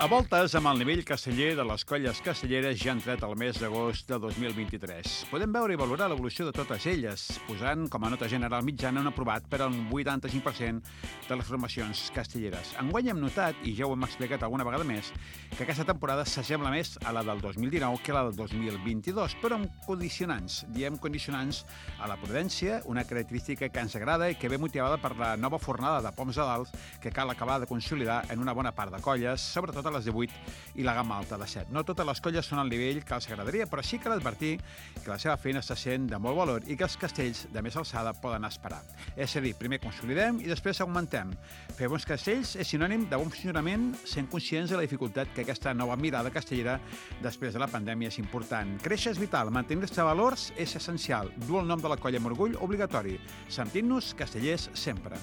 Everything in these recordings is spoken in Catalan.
A voltes, amb el nivell casteller de les colles castelleres ja ha entrat el mes d'agost de 2023. Podem veure i valorar l'evolució de totes elles, posant com a nota general mitjana un aprovat per al 85% de les formacions castelleres. Enguany hem notat, i ja ho hem explicat alguna vegada més, que aquesta temporada s'assembla més a la del 2019 que a la del 2022, però amb condicionants. Diem condicionants a la prudència, una característica que ens agrada i que ve motivada per la nova fornada de poms a dalt que cal acabar de consolidar en una bona part de colles, sobretot a les de 8 i la gamma alta de 7. No totes les colles són al nivell que els agradaria, però sí que advertir que la seva feina està sent de molt valor i que els castells de més alçada poden esperar. És a dir, primer consolidem i després augmentem. Fer bons castells és sinònim de bon funcionament, sent conscients de la dificultat que aquesta nova mirada castellera després de la pandèmia és important. Créixer és vital, mantenir-se valors és essencial. Dur el nom de la colla amb orgull obligatori. Sentint-nos castellers sempre.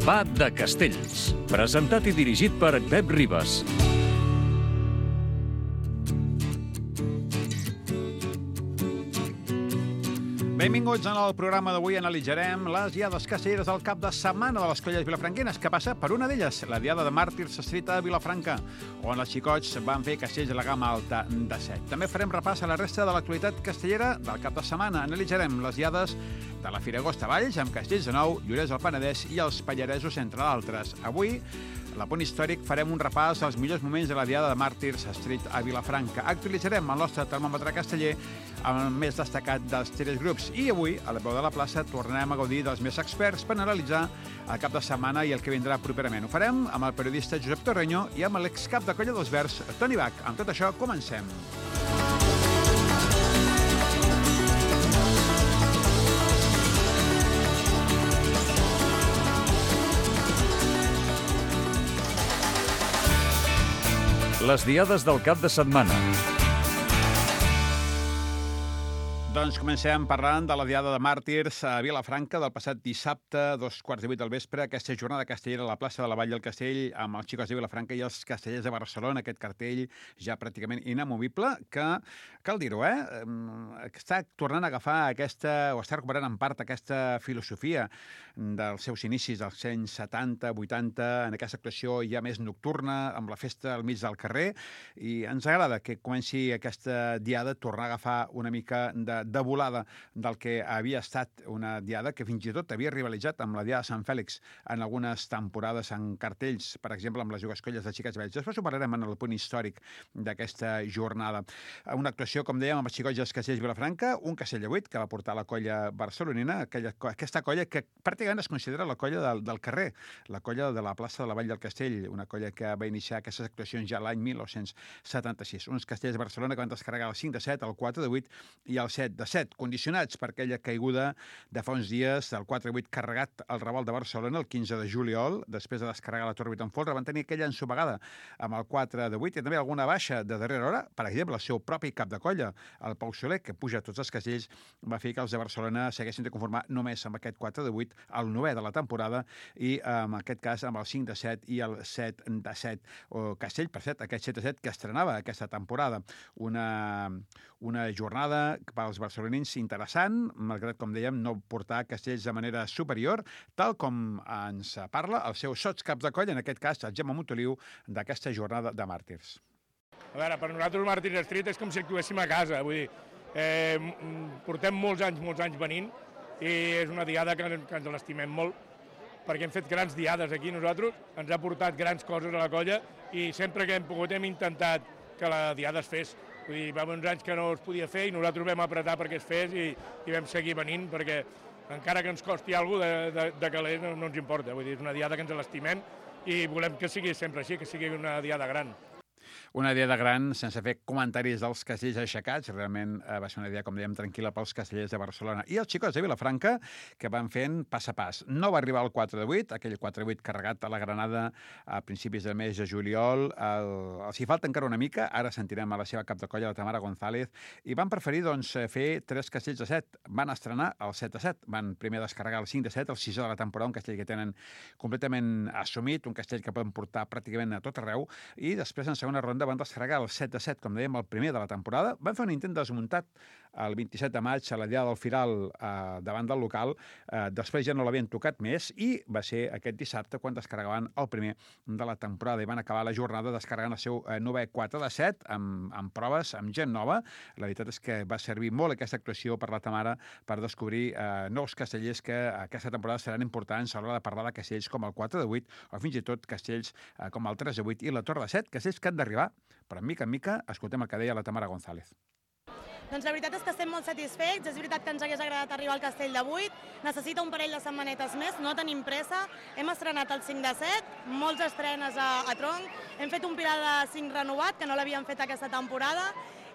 Va de Castells, presentat i dirigit per Pep Ribas. Benvinguts al programa d'avui. Analitzarem les diades castelleres del cap de setmana de les colles vilafranquenes, que passa per una d'elles, la diada de Màrtirs Estrita de Vilafranca, on els xicots van fer castells de la gamma alta de 7. També farem repàs a la resta de l'actualitat castellera del cap de setmana. Analitzarem les diades de la Fira Agost a Valls, amb castells de Nou, Llorers del Penedès i els Pallaresos, entre d'altres. Avui, a la Punt Històric, farem un repàs als millors moments de la diada de Màrtirs Street a Vilafranca. Actualitzarem el nostre termòmetre casteller amb el més destacat dels tres grups. I avui, a la veu de la plaça, tornarem a gaudir dels més experts per analitzar el cap de setmana i el que vindrà properament. Ho farem amb el periodista Josep Torreño i amb l'excap de colla dels Verds, Toni Bach. Amb tot això, comencem. Les diades del cap de setmana. Doncs comencem parlant de la diada de Màrtirs a Vilafranca del passat dissabte, 2:15 del vespre, aquesta jornada castellera a la plaça de la Vall del Castell amb els xicots de Vilafranca i els castellers de Barcelona, aquest cartell ja pràcticament inamovible, que, cal dir-ho, està tornant a agafar aquesta, o està recuperant en part aquesta filosofia dels seus inicis dels anys 70, 80, en aquesta actuació ja més nocturna, amb la festa al mig del carrer, i ens agrada que comenci aquesta diada a tornar a agafar una mica de volada del que havia estat una diada que fins i tot havia rivalitzat amb la diada de Sant Fèlix en algunes temporades en cartells, per exemple, amb les dues colles de xiquets vells. Després ho parlarem en el punt històric d'aquesta jornada. Una actuació, com dèiem, amb els xicots dels castells Vilafranca, un castell de 8 que va portar la colla barcelonina, aquesta colla que pràcticament es considera la colla del carrer, la colla de la plaça de la Vall del Castell, una colla que va iniciar aquestes actuacions ja l'any 1976. Uns castells de Barcelona que van descarregar el 5 de 7, el 4 de 8 i el 7 de 7, condicionats per aquella caiguda de fa uns dies del 4-8 carregat al Raval de Barcelona el 15 de juliol, després de descarregar la Torre 8 en folre, van tenir aquella ensopegada amb el 4 de 8 i també alguna baixa de darrera hora, per exemple, el seu propi cap de colla, el Pau Soler, que puja tots els castells, va fer que els de Barcelona s'haguessin de conformar només amb aquest 4 de 8, el 9è de la temporada, i en aquest cas amb el 5 de 7 i el 7 de 7, o castell, per cert, aquest 7 de 7 que estrenava aquesta temporada. Una jornada pels barcelonins interessant, malgrat, com dèiem, no portar castells de manera superior, tal com ens parla el seu sotscap de colla, en aquest cas el Gemma Montoliu, d'aquesta jornada de Màrtirs. A veure, per nosaltres Màrtirs Street és com si actuéssim a casa, vull dir, portem molts anys venint i és una diada que ens l'estimem molt, perquè hem fet grans diades aquí nosaltres, ens ha portat grans coses a la colla i sempre que hem pogut hem intentat que la diada es fes. Vull dir, va uns anys que no es podia fer i nosaltres vam apretar perquè es fes i vam seguir venint perquè encara que ens costi alguna cosa de calés no ens importa. Vull dir, és una diada que ens l'estimem i volem que sigui sempre així, que sigui una diada gran. Una diada gran, sense fer comentaris dels castells aixecats. Realment va ser una diada, com dèiem, tranquil·la pels castellers de Barcelona. I els xicots de Vilafranca, que van fent pas a pas. No va arribar al 4 de 8, aquell 4 de 8 carregat a la Granada a principis del mes de juliol. Els hi falta encara una mica, ara sentirem a la seva cap de colla, la Tamara González, i van preferir doncs, fer 3 castells de 7. Van estrenar el 7 de 7. Van primer descarregar el 5 de 7, el 6è de la temporada, un castell que tenen completament assumit, un castell que poden portar pràcticament a tot arreu, i després, en segona ronda van descarregar el 7-7, com dèiem, el primer de la temporada. Van fer un intent desmuntat el 27 de maig a la Diada del Firal davant del local. Després ja no l'havien tocat més i va ser aquest dissabte quan descarregaven el primer de la temporada i van acabar la jornada descarregant el seu 9è 4-7 amb proves, amb gent nova. La veritat és que va servir molt aquesta actuació per la Tamara per descobrir nous castellers que aquesta temporada seran importants a l'hora de parlar de castells com el 4-8 o fins i tot castells com el 3-8 i la Torre de 7, castells que han d'arribar, però mica en mica escoltem el que deia la Tamara González. Doncs la veritat és que estem molt satisfets, és veritat que ens hagués agradat arribar al castell de 8, necessita un parell de setmanetes més, no tenim pressa, hem estrenat el 5-7, molts estrenes a tronc, hem fet un pilar de 5 renovat, que no l'havíem fet aquesta temporada,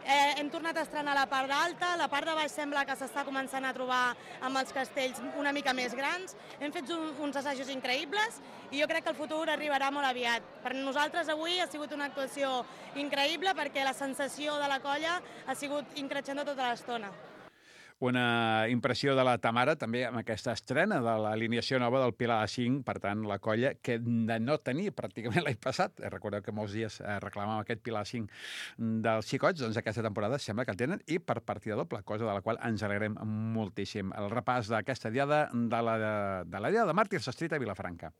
hem tornat a estrenar la part d'alta, la part de baix sembla que s'està començant a trobar amb els castells una mica més grans, hem fet uns assajos increïbles i jo crec que el futur arribarà molt aviat. Per nosaltres avui ha sigut una actuació increïble perquè la sensació de la colla ha sigut increixent tota l'estona. Una impressió de la Tamara, també amb aquesta estrena de l'alineació nova del Pilar A5, per tant, la colla que de no tenir pràcticament l'any passat, recordeu que molts dies reclamàvem aquest Pilar A5 dels xicots, doncs aquesta temporada sembla que el tenen i per partida doble, cosa de la qual ens alegrem moltíssim. El repàs d'aquesta diada de la Diada de Màrtirs Street a Vilafranca.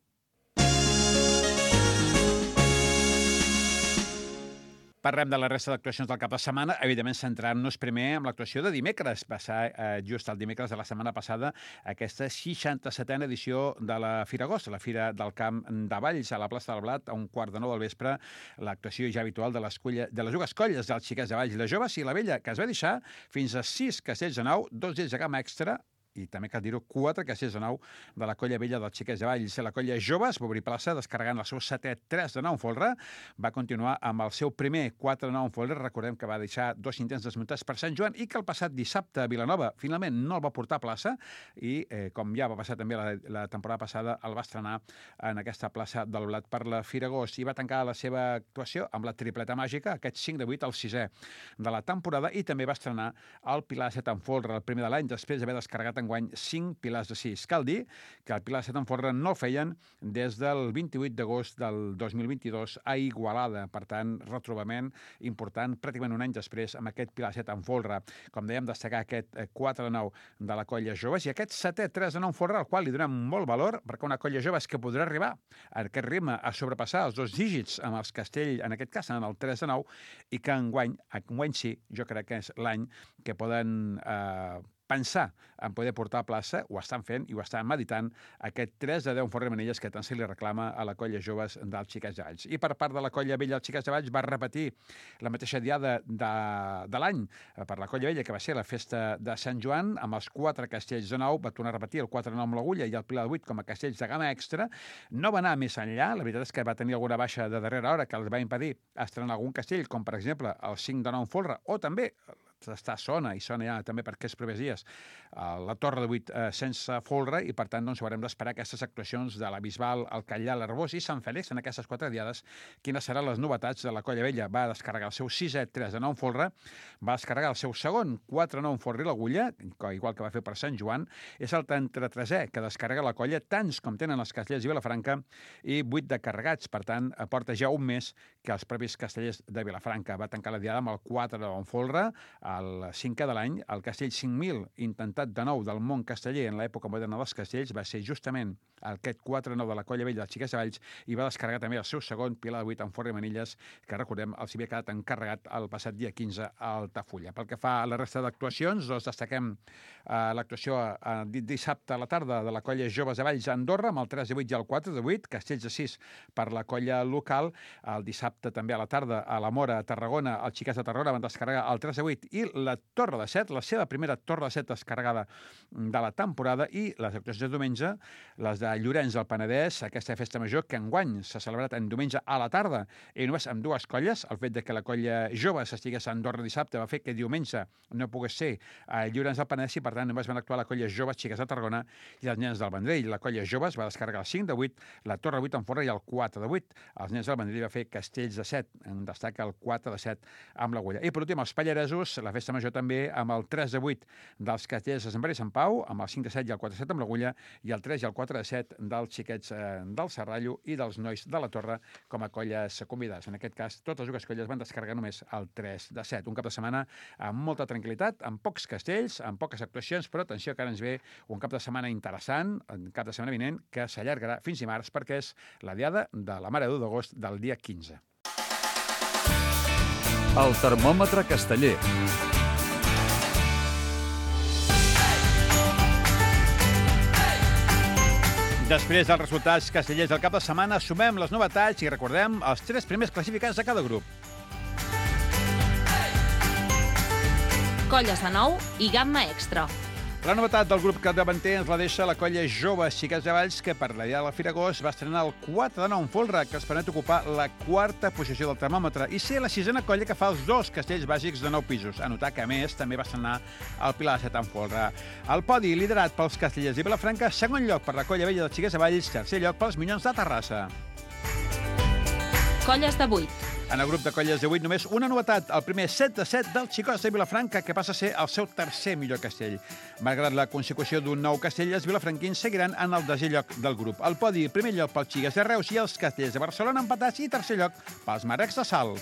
Parlem de la resta d'actuacions del cap de setmana, evidentment centrant-nos primer en l'actuació de dimecres. Va ser just el dimecres de la setmana passada aquesta 67a edició de la Fira Agost, la Fira del Camp de Valls, a la plaça del Blat, a 8:45 del vespre, l'actuació ja habitual de les dues colles dels xiquets de Valls i de joves i la vella, que es va deixar fins a 6 castells de nau, 2 d'ells de gamma extra, i també cal dir-ho, 4 castells de nau de la colla vella dels xiquets de Valls. La colla joves va obrir plaça descarregant el seu 7è 3 de 9 en folre, va continuar amb el seu primer 4 de 9 en folre, recordem que va deixar 2 intents desmuntats per Sant Joan i que el passat dissabte a Vilanova finalment no el va portar a plaça i, com ja va passar també la temporada passada, el va estrenar en aquesta plaça del Blat per la Fira Agost i va tancar la seva actuació amb la tripleta màgica, aquest 5-8, el 6è de la temporada, i també va estrenar el Pilar 7 en folre, el primer de l'any, després d'haver descarregat enguany 5 pilars de 6. Cal dir que el Pilar 7 en folre no el feien des del 28 d'agost del 2022 a Igualada. Per tant, retrobament important, pràcticament un any després, amb aquest Pilar 7 en folre. Com dèiem, destacar aquest 4 de 9 de la colla joves i aquest 7è 3 de 9 en folre, al qual li donem molt valor, perquè una colla jove és que podrà arribar a aquest ritme a sobrepassar els 2 dígits amb els Castell, en aquest cas, en el 3 de 9, i que enguany sí, jo crec que és l'any que poden pensar en poder portar a plaça, ho estan fent i ho estan meditant, aquest 3 de 10 en folre Manilles que tant se li reclama a la colla joves dels Xiquets de Valls. I per part de la colla vella dels Xiquets de Valls va repetir la mateixa diada de l'any per la colla vella, que va ser la festa de Sant Joan, amb els 4 castells de 9, va tornar a repetir el 4 de 9 amb l'agulla i el Pilar de 8 com a castells de gamma extra. No va anar més enllà, la veritat és que va tenir alguna baixa de darrera hora que els va impedir estrenar algun castell, com per exemple el 5 de 9 en folre, o també està sona ja també per aquests propers dies la Torre de 8 sense folre i per tant doncs haurem d'esperar aquestes actuacions de la Bisbal, el Catllà, l'Arbós i Sant Fèlix en aquestes 4 diades. Quines seran les novetats de la colla vella? Va descarregar el seu 6è 3 de 9 en folre, va descarregar el seu segon 4 de 9 en folre i l'agulla, igual que va fer per Sant Joan, és el 33è que descarrega la colla, tants com tenen els castellers i Vilafranca i 8 de carregats, per tant porta ja un mes que els propis castellers de Vilafranca. Va tancar la diada amb el 4 de 9 en folre, el 5è de l'any, el castell 5.000 intentat de nou del món casteller en l'època moderna dels castells va ser justament aquest 4-9 de la colla vella dels Xiquets de Valls i va descarregar també el seu segon Pilar de 8 en folre i manilles, que recordem els havia quedat encarregat el passat dia 15 a Altafulla. Pel que fa a la resta d'actuacions, doncs destaquem l'actuació dissabte a la tarda de la colla Joves de Valls a Andorra amb el 3 de 8 i el 4 de 8, castells de 6 per la colla local. El dissabte també a la tarda a la Mora, a Tarragona, els Xiquets de Tarragona van descarregar el 3 de 8 i la Torre de 7, la seva primera Torre de 7 descarregada de la temporada, i les actuacions de diumenge, les de Llorenç del Penedès, aquesta festa major que enguany s'ha celebrat en diumenge a la tarda i només amb 2 colles. El fet de que la colla jove s'estigués a Andorra dissabte va fer que diumenge no pogués ser a Llorenç del Penedès i per tant només van actuar la colla joves Xiquets de Tarragona i els nens del Vendrell. La colla joves va descarregar el 5 de 8, la Torre 8 en folre i el 4 de 8. Els nens del Vendrell va fer castells de 7, en destaca el 4 de 7 amb l'agulla. I per últim, els pallaresos, la festa major també amb el 3 de 8 dels castellers de Sant Pere i Sant Pau, amb el 5 de 7 i el 4 de 7 amb l'Agulla, i el 3 i el 4 de 7 dels xiquets del Serrallo i dels nois de la Torre com a colles convidades. En aquest cas, totes les dues colles van descarregar només el 3 de 7. Un cap de setmana amb molta tranquil·litat, amb pocs castells, amb poques actuacions, però atenció que ara ens ve un cap de setmana interessant, un cap de setmana vinent, que s'allargarà fins dimarts perquè és la diada de la Mare de Déu d'agost del dia 15. El termòmetre casteller. Després dels resultats castellers del cap de setmana, sumem les novetats i recordem els 3 primers classificats de cada grup. Colles de nou i gamma extra. La novetat del grup capdavanter ens la deixa la colla Joves Xiquets de Valls, que per la diada del Firagós va estrenar el 4 de 9 en folre, que els permet ocupar la 4a posició del termòmetre i ser la 6a colla que fa els 2 castells bàsics de 9 pisos. A notar que, a més, també va estrenar el Pilar de 7 en folre. El podi, liderat pels castellers de Vilafranca, segon lloc per la colla vella dels Xiquets de Valls, tercer lloc pels Minyons de Terrassa. Colles de 8. En el grup de colles de 8 només una novetat, el primer 7 de 7 dels Xicots de Vilafranca, que passa a ser el seu tercer millor castell. Malgrat la consecució d'un nou castell, els vilafranquins seguiran en el desè lloc del grup. El podi, primer lloc pels Xiques de Reus i els castells de Barcelona empatats i tercer lloc pels Marecs de Salt.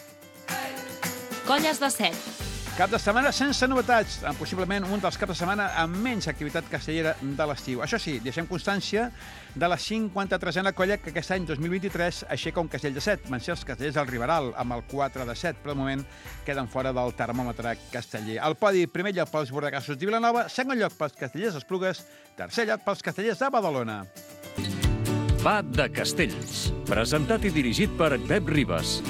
Colles de 7. Cap de setmana sense novetats, possiblement un dels caps de setmana amb menys activitat castellera de l'estiu. Això sí, deixem constància de la 53a colla que aquest any 2023 aixeca un castell de 7. Van ser els castellers del Riberal, amb el 4 de 7, però de moment queden fora del termòmetre casteller. El podi, primer lloc pels Bordegassos de Vilanova, segon lloc pels castellers d'Esplugues, tercer lloc pels castellers de Badalona. Va de Castells. Presentat i dirigit per Pep Ribas.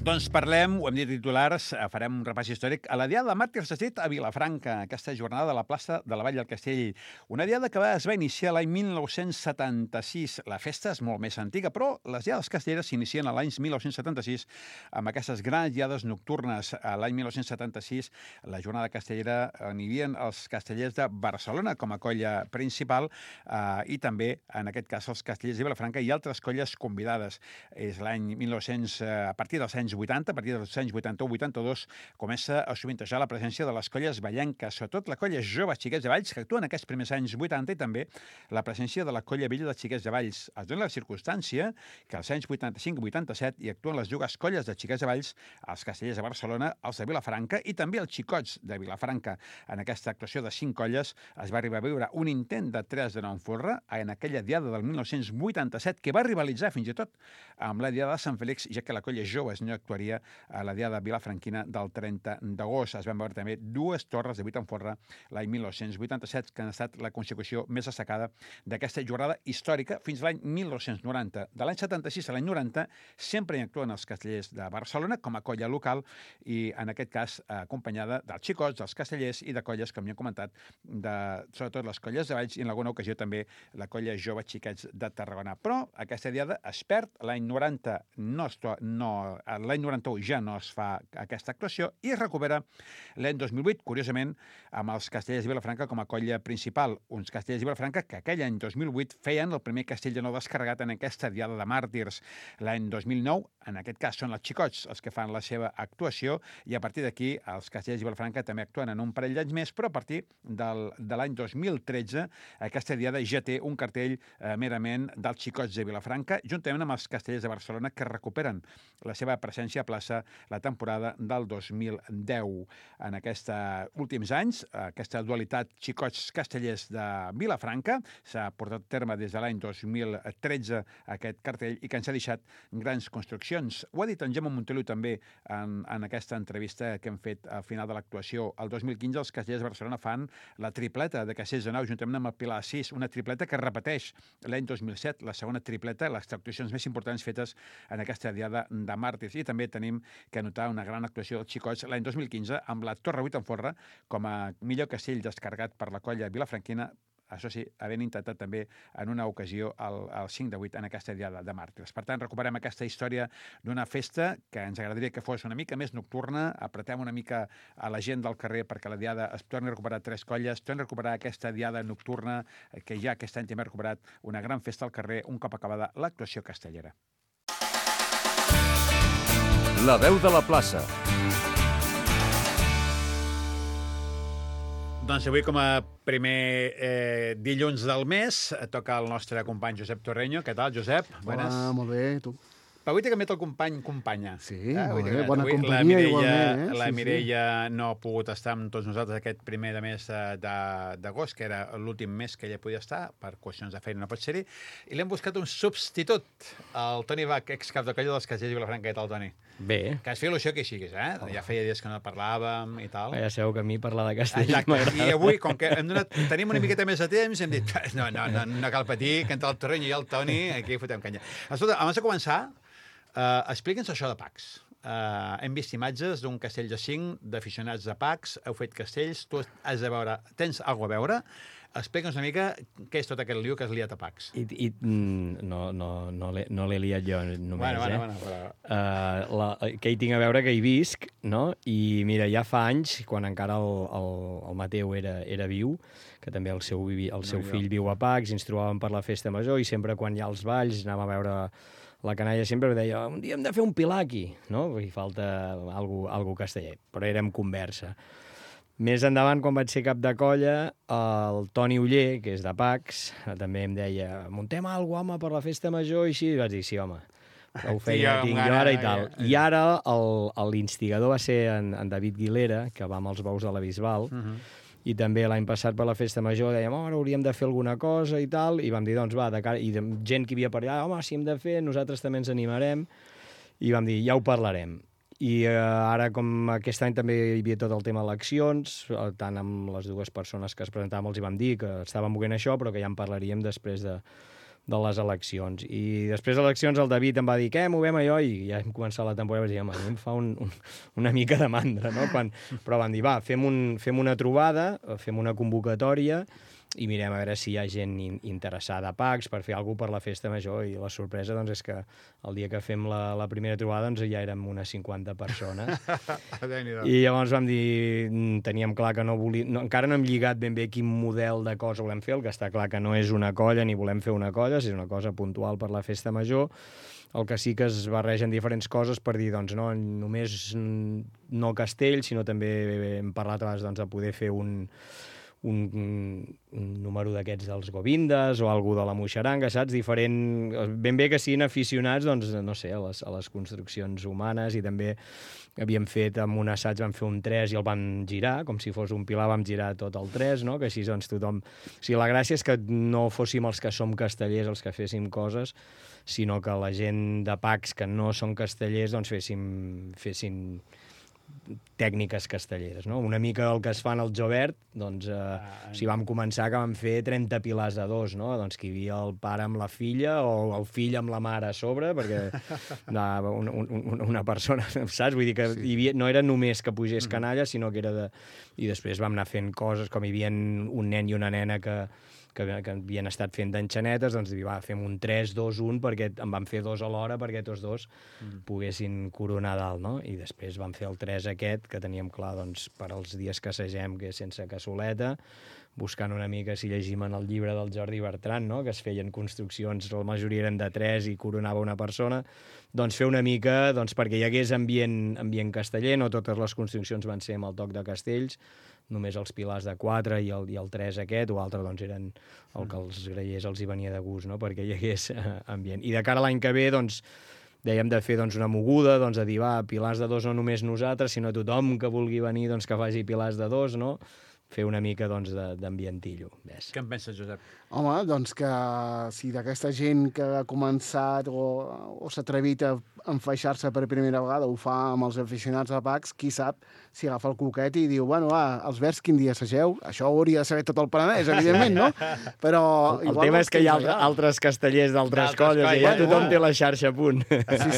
Doncs parlem, ho hem dit titulars, farem un repàs històric a la Diada de Màrtirs de Cid a Vilafranca, aquesta jornada de la plaça de la Vall del Castell. Una diada que es va iniciar l'any 1976. La festa és molt més antiga, però les diades castelleres s'inicien a l'any 1976 amb aquestes grans diades nocturnes. A l'any 1976, la jornada castellera hi havia els castellers de Barcelona com a colla principal i també, en aquest cas, els castellers de Vilafranca i altres colles convidades. És l'any 1900, a partir dels anys 80, a partir dels anys 81-82, comença a sovintejar la presència de les colles vallenques, sobretot la colla Joves Xiquets de Valls, que actua en aquests primers anys 80, i també la presència de la colla vella de Xiquets de Valls. Es dona la circumstància que als anys 85 i 87 hi actuen les dues colles de Xiquets de Valls, els castellers de Barcelona, els de Vilafranca i també els xicots de Vilafranca. En aquesta actuació de 5 colles es va arribar a veure un intent de 3 de 9 en folre en aquella diada del 1987 que va rivalitzar fins i tot amb la diada de Sant Fèlix, ja que la colla Joves no actuaria a la diada vilafranquina del 30 d'agost. Es van veure també 2 torres de 8 en folre l'any 1987, que han estat la consecució més destacada d'aquesta jornada històrica fins a l'any 1990. De l'any 76 a l'any 90 sempre hi actuen els castellers de Barcelona com a colla local i, en aquest cas, acompanyada dels xicots, dels castellers i de colles, com ja hem comentat, sobretot les colles de Valls i en alguna ocasió també la colla Joves Xiquets de Tarragona. Però aquesta diada es perd, l'any 90 l'any 91 ja no es fa aquesta actuació i es recupera l'any 2008, curiosament, amb els castellers de Vilafranca com a colla principal. Uns castellers de Vilafranca que aquell any 2008 feien el primer castell de nou descarregat en aquesta diada de màrtirs. L'any 2009, en aquest cas, són els xicots els que fan la seva actuació i a partir d'aquí els castellers de Vilafranca també actuen en un parell d'anys més, però a partir de l'any 2013 aquesta diada ja té un cartell merament dels xicots de Vilafranca, juntament amb els castellers de Barcelona que recuperen la seva presència a plaça la temporada del 2010. En aquests últims anys, aquesta dualitat xicots-castellers de Vilafranca s'ha portat a terme des de l'any 2013 aquest cartell i que ens ha deixat grans construccions. Ho ha dit en Gemma Montoliu també en aquesta entrevista que hem fet al final de l'actuació. El 2015 els castellers de Barcelona fan la tripleta de castellers de nau juntament amb el Pilar 6, una tripleta que repeteix l'any 2007, la segona tripleta, les actuacions més importants fetes en aquesta diada de màrtirs. I també tenim que anotar una gran actuació dels xicots l'any 2015 amb la Torre 8 en folre com a millor castell descarregat per la colla vilafranquina, això sí, havent intentat també en una ocasió el 5 de 8 en aquesta diada de màrtirs. Per tant, recuperem aquesta història d'una festa que ens agradaria que fos una mica més nocturna, apretem una mica a la gent del carrer perquè la diada es torni a recuperar 3 colles, torni a recuperar aquesta diada nocturna que ja aquest any també ha recuperat una gran festa al carrer un cop acabada l'actuació castellera. la veu de la plaça. Doncs avui, com a primer dilluns del mes, toca el nostre company Josep Torreño. Què tal, Josep? Hola, molt bé, tu? Però avui t'he canviat el companya. Sí, molt bé, bona companyia igualment. La Mireia no ha pogut estar amb tots nosaltres aquest primer de mes d'agost, que era l'últim mes que ella podia estar, per qüestions de feina no pot ser-hi, i l'hem buscat un substitut, el Toni Bach, excap de colla dels Castellers i Vilafranca. Què tal, Toni? Bé. Que has fet il·lusió que hi siguis, eh? Ja feia dies que no parlàvem i tal. Ja sabeu que a mi parlar de castells m'agrada. I avui, com que tenim una miqueta més de temps, hem dit, no cal patir, que entre el Torreño i el Toni, aquí fotem canya. Escolta, abans de començar, explica'ns això de PACs. Hem vist imatges d'un castell de 5 d'aficionats de PACs, heu fet castells, tu has de veure, tens alguna a veure? Explica'ns una mica què és tot aquest liu que has liat a PACs. No l'he liat jo només, bueno, però... que hi tinc a veure, que hi visc, no? I mira, ja fa anys, quan encara el Mateu era viu, que també el seu fill viu a PACs, ens trobàvem per la festa major i sempre quan hi ha els balls anàvem a veure la canalla, sempre deia, un dia hem de fer un pilar aquí, no? Perquè falta algú casteller, però era en conversa. Més endavant, quan vaig ser cap de colla, el Toni Oller, que és de PACs, també em deia, muntem alguna cosa, home, per la festa major, i així, i vaig dir, sí, home, prou feina tinc jo ara i tal. I ara l'instigador va ser en David Guilera, que va amb els bous de la Bisbal, i també l'any passat per la festa major dèiem, ara hauríem de fer alguna cosa i tal, i vam dir, doncs va, i gent que hi havia per allà, home, si hem de fer, nosaltres també ens animarem, i vam dir, ja ho parlarem. I ara, com aquest any també hi havia tot el tema eleccions, tant amb les dues persones que es presentàvem els hi vam dir que estàvem movent això, però que ja en parlaríem després de les eleccions. I després de les eleccions el David em va dir, què, movem allò? I ja hem començat la temporada i vaig dir, home, a mi em fa una mica de mandra, no? Però van dir, va, fem una trobada, fem una convocatòria i mirem a veure si hi ha gent interessada a PACs per fer alguna cosa per la festa major. I la sorpresa doncs, és que el dia que fem la primera trobada doncs, ja érem unes 50 persones. I llavors vam dir, teníem clar que no volíem... encara no hem lligat ben bé quin model de cosa volem fer, el que està clar que no és una colla ni volem fer una colla, és una cosa puntual per la festa major. El que sí que es barregen diferents coses per dir, doncs, no només no castell, sinó també hem parlat abans doncs, de poder fer un número d'aquests dels Govindes o algú de la Moixeranga, saps? Diferent... Ben bé que siguin aficionats, doncs, no sé, a les construccions humanes, i també havíem fet, amb un assaig vam fer un 3 i el vam girar, com si fos un pilar, vam girar tot el 3, no? Que així doncs tothom... O sigui, la gràcia és que no fóssim els que som castellers els que féssim coses, sinó que la gent de PACs que no són castellers doncs fessin tècniques castelleres, no? Una mica el que es fan al Jovert, doncs, si vam començar que vam fer 30 pilars de 2, no? Doncs que hi havia el pare amb la filla o el fill amb la mare a sobre, perquè una persona, saps? Vull dir que no era només que pugés canalla, sinó que era de... I després vam anar fent coses, com hi havia un nen i una nena que havien estat fent d'enxanetes, doncs va, fem un 3, 2, 1, perquè en vam fer 2 alhora perquè tots dos poguessin coronar dalt, no? I després vam fer el 3 aquest, que teníem clar, doncs, per als dies que assagem, que és sense cassoleta, buscant una mica si llegim en el llibre del Jordi Bertran, no? Que es feien construccions, la majoria eren de 3 i coronava una persona, doncs fer una mica, doncs, perquè hi hagués ambient casteller, no totes les construccions van ser amb el toc de castells, només els pilars de 4 i el 3 aquest, o altre doncs eren el que els grallers els hi venia de gust, no? Perquè hi hagués ambient. I de cara a l'any que ve, doncs, dèiem de fer doncs, una moguda, doncs, de dir, va, pilars de 2 no només nosaltres, sinó tothom que vulgui venir doncs, que faci pilars de 2, no? Fer una mica doncs, d'ambientillo. Què en penses, Josep? Home, doncs que si d'aquesta gent que ha començat o s'ha atrevit a enfaixar-se per primera vegada ho fa amb els aficionats a PACs, qui sap si agafa el coquet i diu, bueno, va, els Verds quin dia assageu? Això ho hauria de saber tot el Penedès, evidentment, no? Però... El tema és que hi ha altres castellers d'altres colles i ja tothom té la xarxa a punt.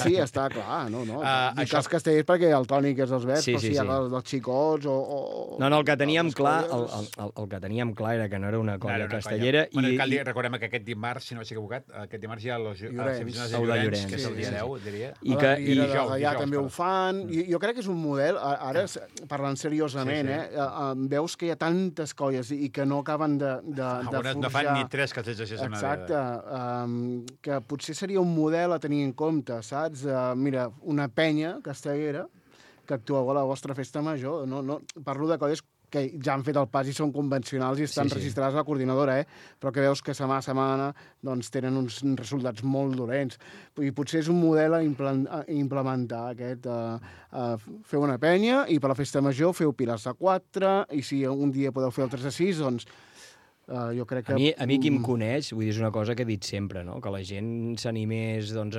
Sí, està clar, no? Dic els castellers perquè el Toni, que és dels Verds, però si hi ha els xicots o... No, el que teníem clar, el que teníem clar era que no era una colla castellera. Bueno, cal dir, recordem que aquest dimarts, si no m'estic equivocat, aquest dimarts hi ha els aficionats de Llorenç, que és el dia 10, diria. I dijous també ho fan. Jo crec que és un model, ara parlant seriosament, veus que hi ha tantes colles i que no acaben de forjar... No fan ni 3 castells així. Exacte. Que potser seria un model a tenir en compte, saps? Mira, una penya castellera que actueu a la vostra festa major. No, parlo de colles que ja han fet el pas i són convencionals i estan registrades a la coordinadora, però que veus que setmana a setmana doncs, tenen uns resultats molt dolents. I potser és un model a implementar aquest. Feu una penya i per la festa major feu pilars a 4 i si un dia podeu fer el 3 a 6, doncs jo crec que... A mi qui em coneix, vull dir, és una cosa que he dit sempre, no? Que la gent s'animés, doncs,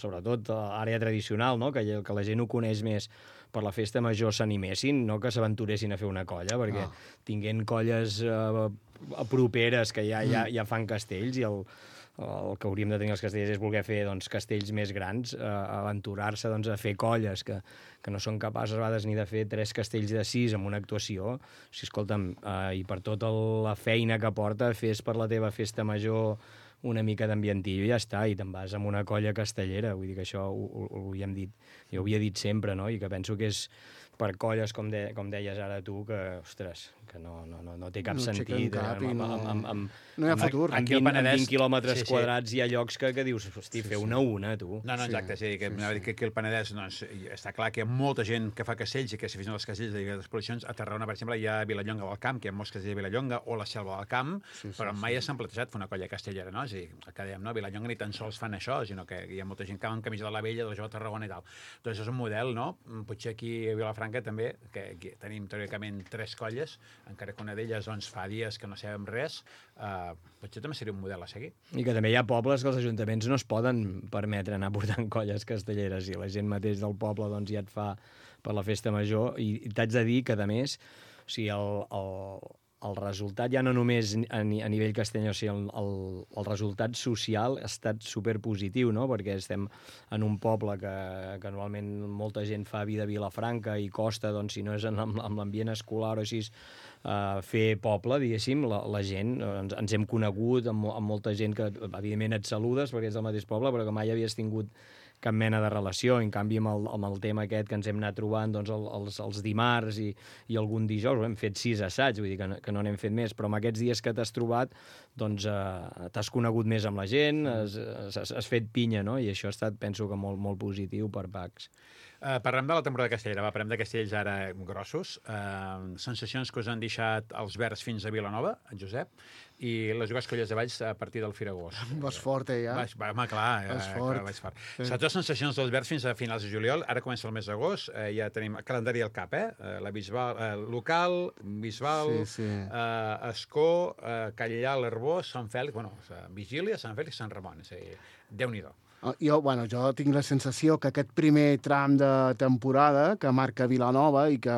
sobretot a l'àrea tradicional, no? Que la gent ho coneix més per la festa major s'animessin, no que s'aventuressin a fer una colla, perquè tinguent colles properes que ja fan castells i el que hauríem de tenir els castellers és voler fer doncs, castells més grans, aventurar-se doncs, a fer colles que no són capaces a vegades ni de fer 3 castells de 6 amb una actuació. Si, escolta'm, i per tota la feina que porta, fes per la teva festa major una mica d'ambientillo i ja està, i te'n vas amb una colla castellera. Vull dir que això ho havíem dit, jo ho havia dit sempre, no? I que penso que és per colles, com deies ara tu, que, ostres, que no té cap sentit. No hi ha futur. Amb 20 quilòmetres quadrats hi ha llocs que dius, hosti, feu una, tu. No, exacte, que aquí al Penedès està clar que hi ha molta gent que fa castells i que s'aficionen als castells de diverses posicions. A Tarragona, per exemple, hi ha Vilallonga del Camp, que hi ha molts castells de Vilallonga, o la Selva del Camp, però mai s'han plantejat fer una colla castellera, no? És a dir, el que dèiem, no? Vilallonga ni tan sols fan això, sinó que hi ha molta gent que va amb camisa de la Vella, de la Jove Tarragona i tal. Doncs és un model, no? Potser aquí a Vilafranca també, que tenim teòricament 3 colles, encara que una d'elles fa dies que no sabem res, potser també seria un model a seguir. I que també hi ha pobles que els ajuntaments no es poden permetre anar portant colles castelleres i la gent mateix del poble doncs, ja et fa per la festa major i t'haig de dir que, a més, o sigui, el resultat ja no només a nivell castellà, o sigui, el resultat social ha estat superpositiu, no? Perquè estem en un poble que normalment molta gent fa vida a Vilafranca i costa, doncs, si no és amb l'ambient escolar o així, fer poble, diguéssim, la gent, ens hem conegut amb molta gent que, evidentment, et saludes perquè és del mateix poble, però que mai havies tingut cap mena de relació. En canvi, amb el tema aquest que ens hem anat trobant doncs, els dimarts i algun dijous, hem fet 6 assaigs, vull dir que no n'hem fet més, però amb aquests dies que t'has trobat doncs, t'has conegut més amb la gent, has fet pinya, no? I això ha estat, penso, que molt positiu per PACS. Parlem de la temporada castellera, parlem de castells ara grossos. Sensacions que us han deixat els Verds fins a Vilanova, en Josep, i les dues colles de Valls a partir del Firagós. Vas fort, ja? Home, clar, vaig fort. Sobretot sensacions dels Verds fins a finals de juliol. Ara comença el mes d'agost, ja tenim el calendari al cap, la Bisbal, local, Bisbal, Escó, Callà, l'Arbós, Sant Fèlix, Vigília, Sant Fèlix, Sant Ramon. Déu-n'hi-do. Jo tinc la sensació que aquest primer tram de temporada que marca Vilanova i que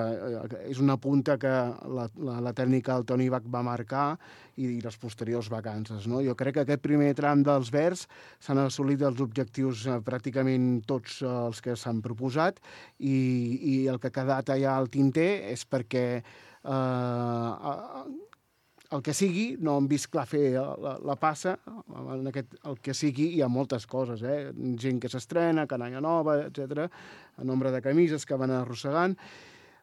és una punta que la tècnica del Toni Bach va marcar i les posteriors vacances, no? Jo crec que aquest primer tram dels Verds s'han assolit els objectius pràcticament tots els que s'han proposat i el que ha quedat allà al tinter és perquè el que sigui, no hem vist clar fer la passa, el que sigui hi ha moltes coses, gent que s'estrena, canalla nova, etc, a nombre de camises que van arrossegant,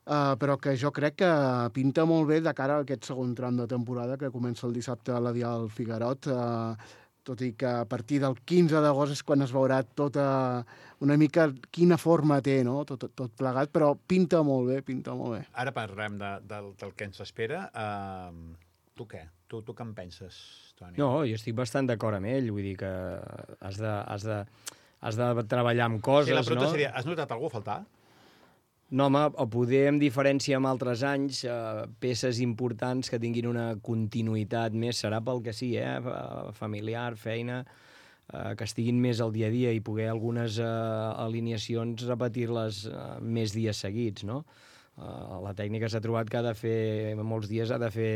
però que jo crec que pinta molt bé de cara a aquest segon tram de temporada que comença el dissabte a la Dial Figuerot, tot i que a partir del 15 d'agost és quan es veurà tota una mica quina forma té, no? Tot plegat, però pinta molt bé. Ara parlem del que ens espera. Tu què? Tu què en penses, Toni? No, jo estic bastant d'acord amb ell, vull dir que has de treballar amb coses, no? Sí, la pregunta seria, has notat algú a faltar? No, home, o poder, en diferència amb altres anys, peces importants que tinguin una continuïtat més, serà pel que sí, familiar, feina, que estiguin més al dia a dia i poder algunes alineacions repetir-les més dies seguits, no? La tècnica s'ha trobat que ha de fer, molts dies ha de fer...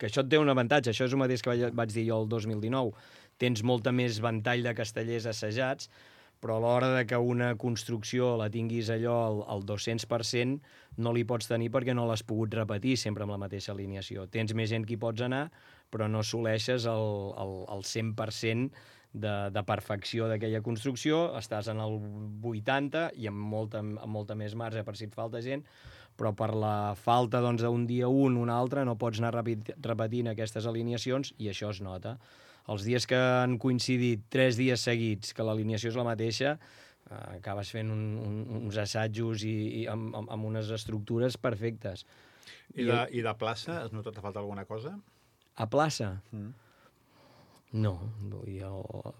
que això et té un avantatge, això és el mateix que vaig dir jo el 2019, tens molta més ventall de castellers assajats, però a l'hora de que una construcció la tinguis allò al 200%, no li pots tenir perquè no l'has pogut repetir sempre amb la mateixa alineació. Tens més gent que hi pots anar, però no assoleixes el 100% de perfecció d'aquella construcció, estàs en el 80 i amb molta més marge per si et falta gent, però per la falta d'un dia un altre no pots anar repetint aquestes alineacions i això es nota. Els dies que han coincidit 3 dies seguits que l'alineació és la mateixa, acabes fent uns assajos i amb unes estructures perfectes. I de plaça, has notat que falta alguna cosa? A plaça? No,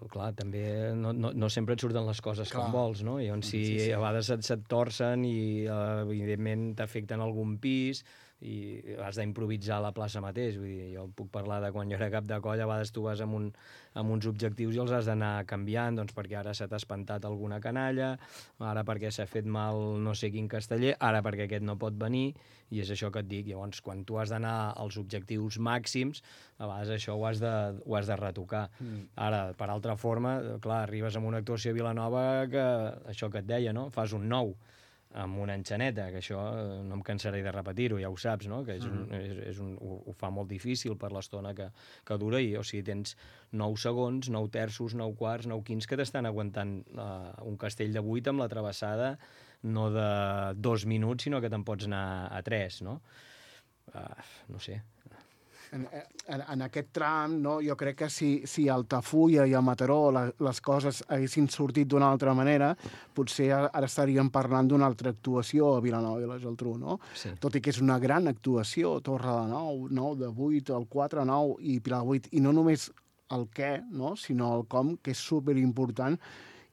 clar, també no sempre et surten les coses com vols, no? I si a vegades se't torcen i evidentment t'afecten algun pis i has d'improvisar a la plaça mateix. Vull dir, jo puc parlar de quan jo era cap de colla, a vegades tu vas amb uns objectius i els has d'anar canviant, doncs perquè ara se t'ha espantat alguna canalla, ara perquè s'ha fet mal no sé quin casteller, ara perquè aquest no pot venir, i és això que et dic. Llavors, quan tu has d'anar als objectius màxims, a vegades això ho has de retocar. Ara, per altra forma, clar, arribes amb una actuació a Vilanova que, això que et deia, no? Fas un 9 amb una enxaneta, que això no em cansaré de repetir-ho, ja ho saps, no? Que ho fa molt difícil per l'estona que dura, i o sigui, tens 9 segons, 9 terços, 9 quarts, 9 quints que t'estan aguantant un castell de 8 amb la travessada no de 2 minuts, sinó que te'n pots anar a 3, no? No sé. En aquest tram, no, jo crec que si a Altafulla i a Mataró les coses haguessin sortit d'una altra manera, potser ara estaríem parlant d'una altra actuació a Vilanova i la Geltrú, no? Sí. Tot i que és una gran actuació, Torre de 9 de 8, el 4, 9 i Pilar 8, i no només el què, no, sinó el com, que és superimportant,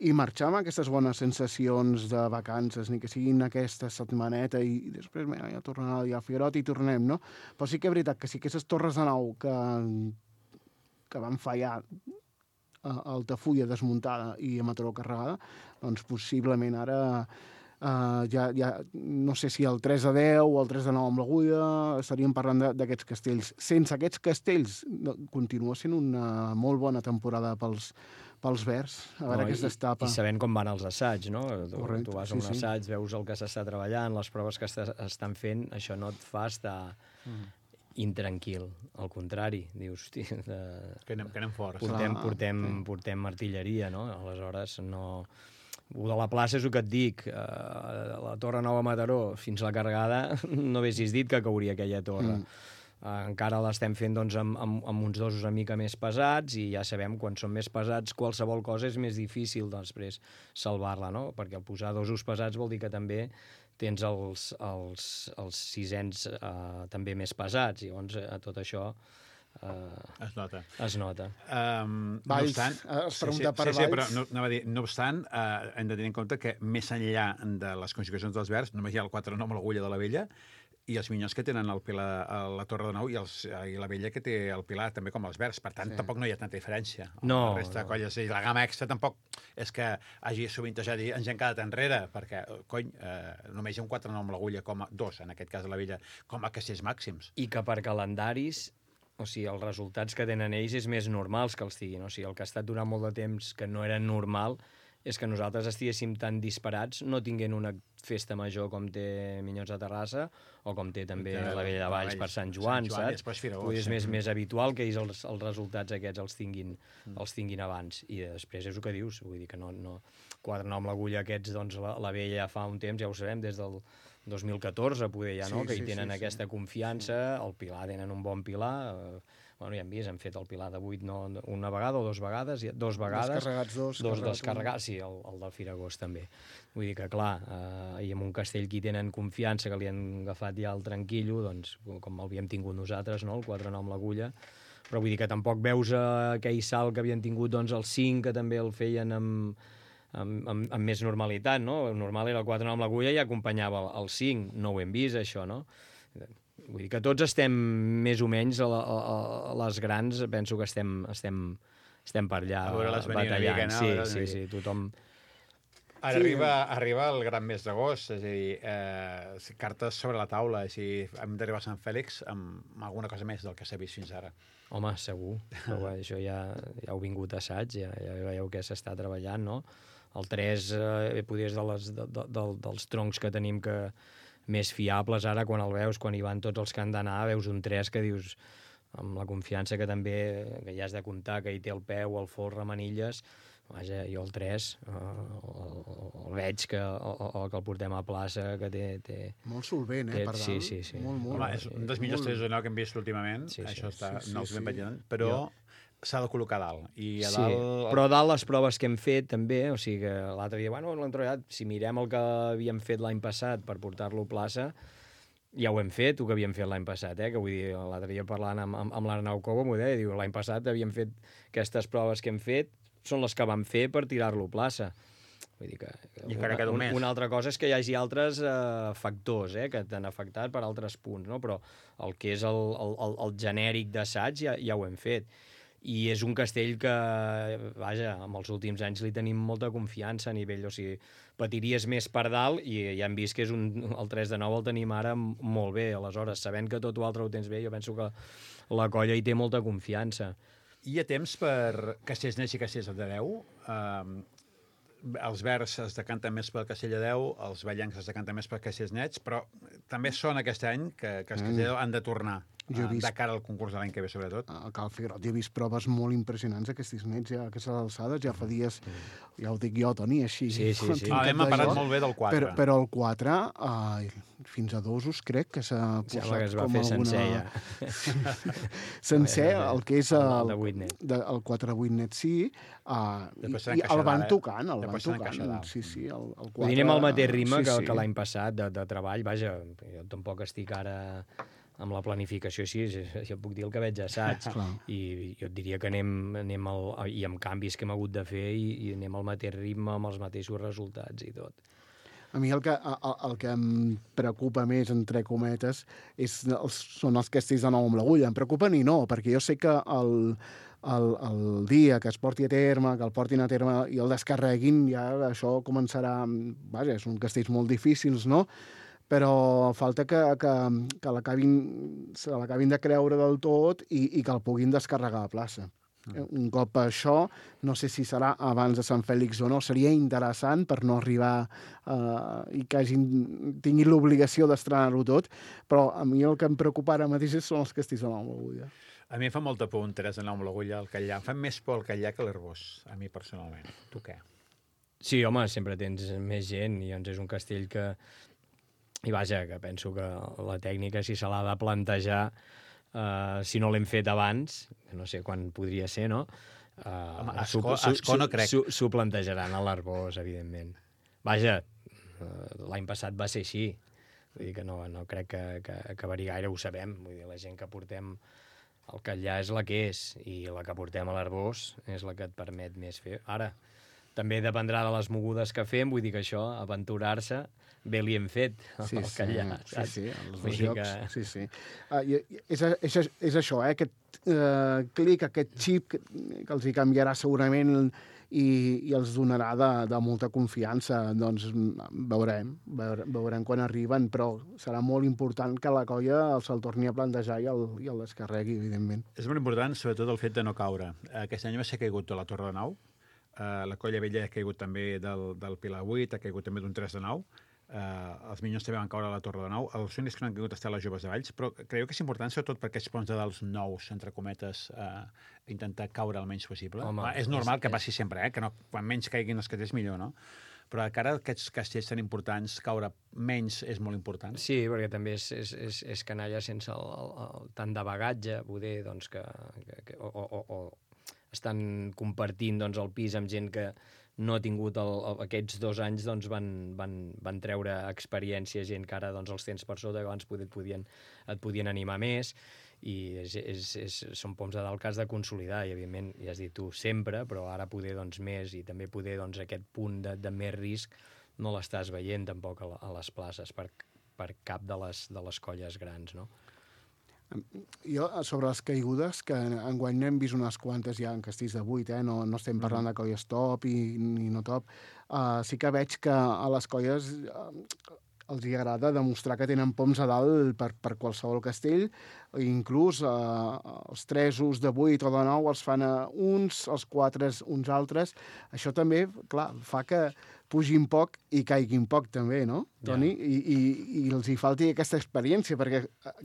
i marxar amb aquestes bones sensacions de vacances, ni que siguin aquesta setmaneta i després ja tornem a dir al Figuerot i tornem, no? Però sí que és veritat que si aquestes torres de 9 que van fallar a Altafulla desmuntada i a Mataró carregada, doncs possiblement ara ja no sé si el 3-10 o el 3-9 amb l'Agulla, estaríem parlant d'aquests castells. Sense aquests castells continua sent una molt bona temporada pels verds, a veure què es destapa. I sabent com van els assaigs, no? Correcte, tu vas a un assaig, veus el que s'està treballant, les proves que estan fent, això no et fa estar intranquil. Al contrari, dius, hòstia... Que anem forts. Portem artilleria, no? Aleshores, no... Ho de la plaça és el que et dic. La Torre Nova Mataró, fins a la carregada, no haguessis dit que cauria aquella torre. Encara l'estem fent doncs, amb uns dosos una mica més pesats, i ja sabem, quan són més pesats, qualsevol cosa és més difícil després salvar-la, no? Perquè al posar dosos pesats vol dir que també tens els sisens també més pesats, i llavors tot això es nota. Valls, es pregunta per Valls. Sí, però no obstant, hem de tenir en compte que més enllà de les conjugacions dels verds, només hi ha el 4-9 amb l'Agulla de la Vella, i els minyons que tenen el pilar a la Torre de 9 i la Vella que té el pilar també com els verds. Per tant, tampoc no hi ha tanta diferència. No. La resta de colles i la gamma extra tampoc és que hagi sovintejat i ens hem quedat enrere, perquè, cony, només hi ha un 4-9 amb l'Agulla, com a 2, en aquest cas de la Vella, com a castells màxims. I que per calendaris, o sigui, els resultats que tenen ells és més normals que els tinguin. O sigui, el que ha estat durant molt de temps que no era normal és que nosaltres estiguéssim tan disparats, no tinguent una festa major com té Minyons de Terrassa o com té també la Vella de Valls per Sant Joan, saps? És més habitual que ells els resultats aquests els tinguin abans. I després és el que dius, vull dir que no 4-9 amb l'Agulla aquests, doncs la Vella fa un temps, ja ho sabem, des del 2014, poder ja, no? Que hi tenen aquesta confiança, el Pilar tenen un bon Pilar, bueno, ja hem vist, hem fet el Pilar de 8 una vegada o 2 vegades, 2 vegades. Dos descarregats, sí, el del Firagós també. Vull dir que, clar, i amb un castell que hi tenen confiança, que li han agafat ja el tranquillo, doncs, com l'havíem tingut nosaltres, no?, el 4-9 amb l'Agulla, però vull dir que tampoc veus aquell salt que havien tingut, doncs, el 5, que també el feien amb més normalitat, no? El normal era el 4-9 amb l'Agulla i acompanyava el 5, no ho hem vist, això, no? Vull dir que tots estem més o menys a les grans, penso que estem per allà batallant. Sí, tothom... Ara arriba el gran mes d'agost, és a dir, cartes sobre la taula, és a dir, hem d'arribar a Sant Fèlix amb alguna cosa més del que s'ha vist fins ara. Home, segur, però això ja heu vingut a assaig, ja veieu que s'està treballant, no? El 3 potser és dels troncs que tenim que més fiables ara, quan el veus, quan hi van tots els que han d'anar, veus un 3 que dius, amb la confiança que també que ja has de comptar, que hi té el peu, el folre, manilles, vaja, jo el 3 el veig que el portem a plaça, que té... Molt solvent, per dalt. Sí. Molt. Home, és un dels millors 3 de 9 que hem vist últimament, això està ben veient, però s'ha de col·locar a dalt. I a dalt... Però a dalt les proves que hem fet també, o sigui que l'altre dia, l'hem trobat, si mirem el que havíem fet l'any passat per portar-lo a plaça, ja ho hem fet, el que havíem fet l'any passat, que vull dir, l'altre dia parlant amb l'Arnau Cobo m'ho deia, diu, l'any passat havíem fet aquestes proves que hem fet, són les que vam fer per tirar-lo a plaça. Vull dir que una altra cosa és que hi hagi altres factors que t'han afectat per altres punts, no? Però el que és el genèric d'assaig ja ho hem fet. I és un castell que, vaja, amb els últims anys li tenim molta confiança a nivell, o sigui, patiries més per dalt i ja hem vist que el 3 de 9 el tenim ara molt bé, aleshores, sabent que tot l'altre ho tens bé, jo penso que la colla hi té molta confiança. Hi ha temps per castells nets i castells de 10? Els verds es decanten més pel castell de 10, els ballencs es decanten més per castells nets, però també són aquest any que els castells de 10 han de tornar. De cara al concurs de l'any que ve, sobretot. A Cal Figuerot he vist proves molt impressionants aquests nets, ja a aquestes alçades, ja fa dies, ja ho dic jo, Toni, així. Sí. Hem parlat molt bé del 4. Però el 4, fins a dosos, crec que s'ha posat com alguna... sencer, ja. Sencer, el que és el 8 net. El 4-8 net, sí, i el van tocant, Sí, el 4... Anem al mateix ritme que l'any passat de treball, vaja, jo tampoc estic ara... amb la planificació així, jo puc dir el que veig a assaig, i jo et diria que anem i amb canvis que hem hagut de fer i anem al mateix ritme, amb els mateixos resultats i tot. A mi el que em preocupa més, entre cometes, són els castells de nou amb l'agulla. Em preocupen i no, perquè jo sé que el dia que es porti a terme, que el portin a terme i el descarreguin, ja això començarà... Vaja, són castells molt difícils, no?, però falta que se l'acabin de creure del tot i que el puguin descarregar a plaça. Un cop això, no sé si serà abans de Sant Fèlix o no, seria interessant per no arribar i que tinguin l'obligació d'estrenar-ho tot, però a mi el que em preocupa ara mateix són els castells de nou amb l'agulla. A mi em fa molta por un 3 de 9 amb l'agulla al Catllà. Em fa més por el Catllà que l'Arbós, a mi personalment. Tu què? Sí, home, sempre tens més gent i doncs és un castell que... I vaja, que penso que la tècnica, si se l'ha de plantejar, si no l'hem fet abans, no sé quan podria ser, no? Ascó no crec. S'ho plantejaran a l'Arbós, evidentment. Vaja, l'any passat va ser així. Vull dir que no crec que acabaria gaire, ho sabem. Vull dir, la gent que portem al Catllà és la que és, i la que portem a l'Arbós és la que et permet més fer. Ara, també dependrà de les mogudes que fem, vull dir que això, aventurar-se, bé li hem fet al Catllà. Sí, els dos jocs, sí. És això, aquest clic, aquest xip que els hi canviarà segurament i els donarà de molta confiança. Doncs veurem quan arriben, però serà molt important que la colla se'l torni a plantejar i el descarregui, evidentment. És molt important, sobretot, el fet de no caure. Aquest any va ser caigut de la Torre de Nau, la colla vella ha caigut també del Pilar 8, ha caigut també d'un 3 de 9, els Minyons també van caure a la Torre de Nou, els únics que no han caigut estan les Joves de Valls, però creieu que és important, sobretot per aquests ponts de dalt nous, entre cometes, intentar caure el menys possible? Home, és normal que passi sempre, que no, quan menys caiguin els castells millor, no? Però encara aquests castells tan importants, caure menys és molt important. Sí, perquè també és canalla sense tant de bagatge, poder, doncs, o estan compartint doncs, el pis amb gent que no ha tingut aquests 2 anys, doncs van treure experiència, gent que ara doncs, els tens per sota, que abans et podien animar més, i són poms de dalt que has de consolidar, i evidentment, ja has dit tu, sempre, però ara poder doncs, més, i també poder doncs, aquest punt de més risc no l'estàs veient tampoc a les places per cap de les colles grans, no? Jo, sobre les caigudes, que enguany n'hem vist unes quantes ja en castells de 8, no estem parlant de colles top ni no top, sí que veig que a les colles els hi agrada demostrar que tenen poms a dalt per qualsevol castell, inclús els 3 de 8 o de 9 els fan a uns, els 4 uns altres. Això també, clar, fa que pugin poc i caiguin poc també, no, Toni? I els hi falti aquesta experiència, perquè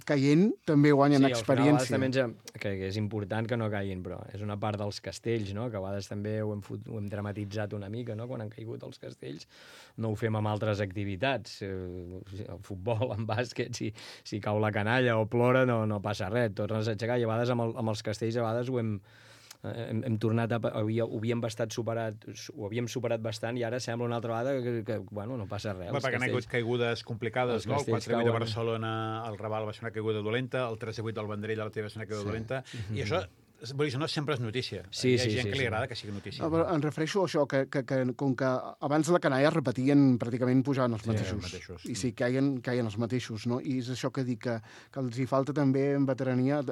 caient també guanyen experiència. Sí, al final que és important que no caiguin, però és una part dels castells, no? Que a vegades també ho hem dramatitzat una mica, no? Quan han caigut els castells. No ho fem amb altres activitats. El futbol, en bàsquet, si cau la canalla o plora, no passa res. Tornes a aixecar, i a vegades amb els castells a vegades hem tornat ho havíem superat bastant i ara sembla una altra vegada que bueno, no passa res. Perquè han hagut caigudes complicades, no? El 4 de 8 de Barcelona, el Raval va ser una caiguda dolenta, el 3 de 8 del Vendrell, la teva va ser una caiguda dolenta, i això no sempre és notícia. Hi ha gent que li agrada que sigui notícia. Però em refereixo a això, que com que abans la canalla repetien, pràcticament pujaven els mateixos. I sí, caien els mateixos, no? I és això que dic, que els hi falta també en veterania,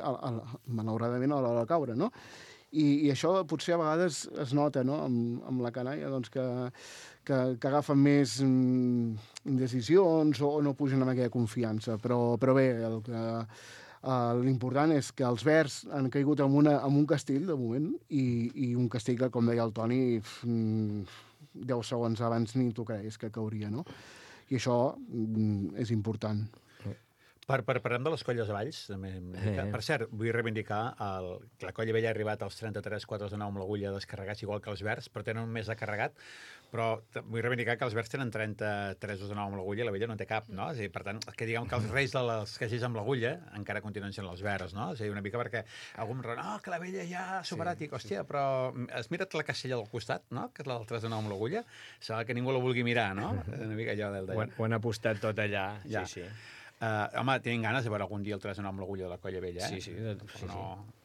malauradament, a l'hora de caure, no? I això potser a vegades es nota, no?, amb la canalla, doncs que agafen més indecisions o no pugen amb aquella confiança. Però bé, l'important és que els verds han caigut en un castell, de moment, i un castell que, com deia el Toni, 10 segons abans ni t'ho creies que cauria, no? I això és important. Parlem de les colles a Valls. Per cert, vull reivindicar que la Colla Vella ha arribat als 33 4 de 9 amb l'agulla descarregats, igual que els verds, però tenen un més de carregat. Però vull reivindicar que els verds tenen 33 de 9 amb l'agulla i la Vella no té cap, no? És a dir, per tant, que diguem que els reis dels castells amb l'agulla encara continuen sent els verds, no? És a dir, una mica perquè algú em diu, que la Vella ja ha superat, i hòstia, però has mirat la castella del costat, no?, que és la del 3 de 9 amb l'agulla? Sembla que ningú la vulgui mirar, no? Una mica allò d'allà. Ho han apostat tot allà, sí. Home, tenen ganes de veure algun dia el 3 de 9 amb l'agulla de la Colla Vella, Sí.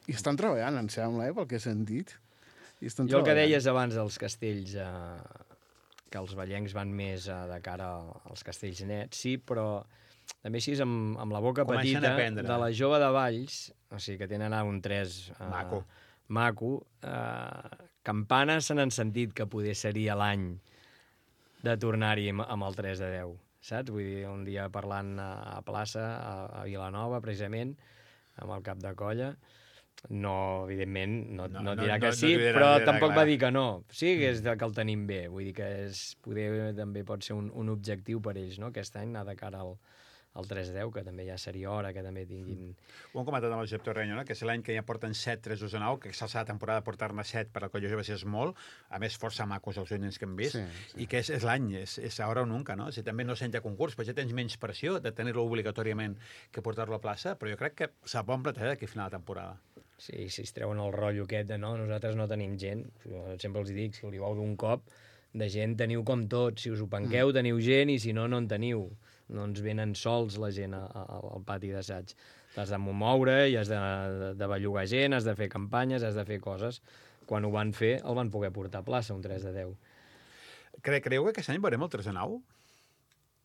I estan treballant, em sembla, pel que he sentit. Jo el que deies abans dels castells, que els vallencs van més de cara als castells nets, sí, però també així amb la boca petita de la jove de Valls, o sigui, que tenen un 3 maco, campanes se n'han sentit que poder seria l'any de tornar-hi amb el 3 de 10. Saps? Vull dir, un dia parlant a plaça, a Vilanova, precisament, amb el cap de colla, evidentment, no dirà que sí, però tampoc va dir que no. Sí, que és que el tenim bé. Vull dir que també pot ser un objectiu per ells, no?, aquest any, anar de cara al 3-10, que també ja seria hora que també tinguin... Ho hem comentat amb el Josep Torreño, no?, que és l'any que ja porten 7 3 de 9, que s'alça la temporada de portar-ne 7 per a Colla Jove és molt, a més força macos els ullens que hem vist, i que és l'any, és ara o nunca, no? Si també no sent ja concurs, però ja tens menys pressió de tenir-lo obligatòriament que portar-lo a plaça, però jo crec que s'ha bon plater d'aquí a final de temporada. Sí, si es treuen el rotllo aquest de nosaltres no tenim gent, jo sempre els dic, si li vau d'un cop, de gent teniu com tot, si us ho penqueu teniu gent i si no, no en teniu. No ens venen sols la gent al pati d'assaig. T'has de moure i has de bellugar gent, has de fer campanyes, has de fer coses. Quan ho van fer, el van poder portar a plaça, un 3 de 10. Creieu que aquest any veurem el 3 de 9?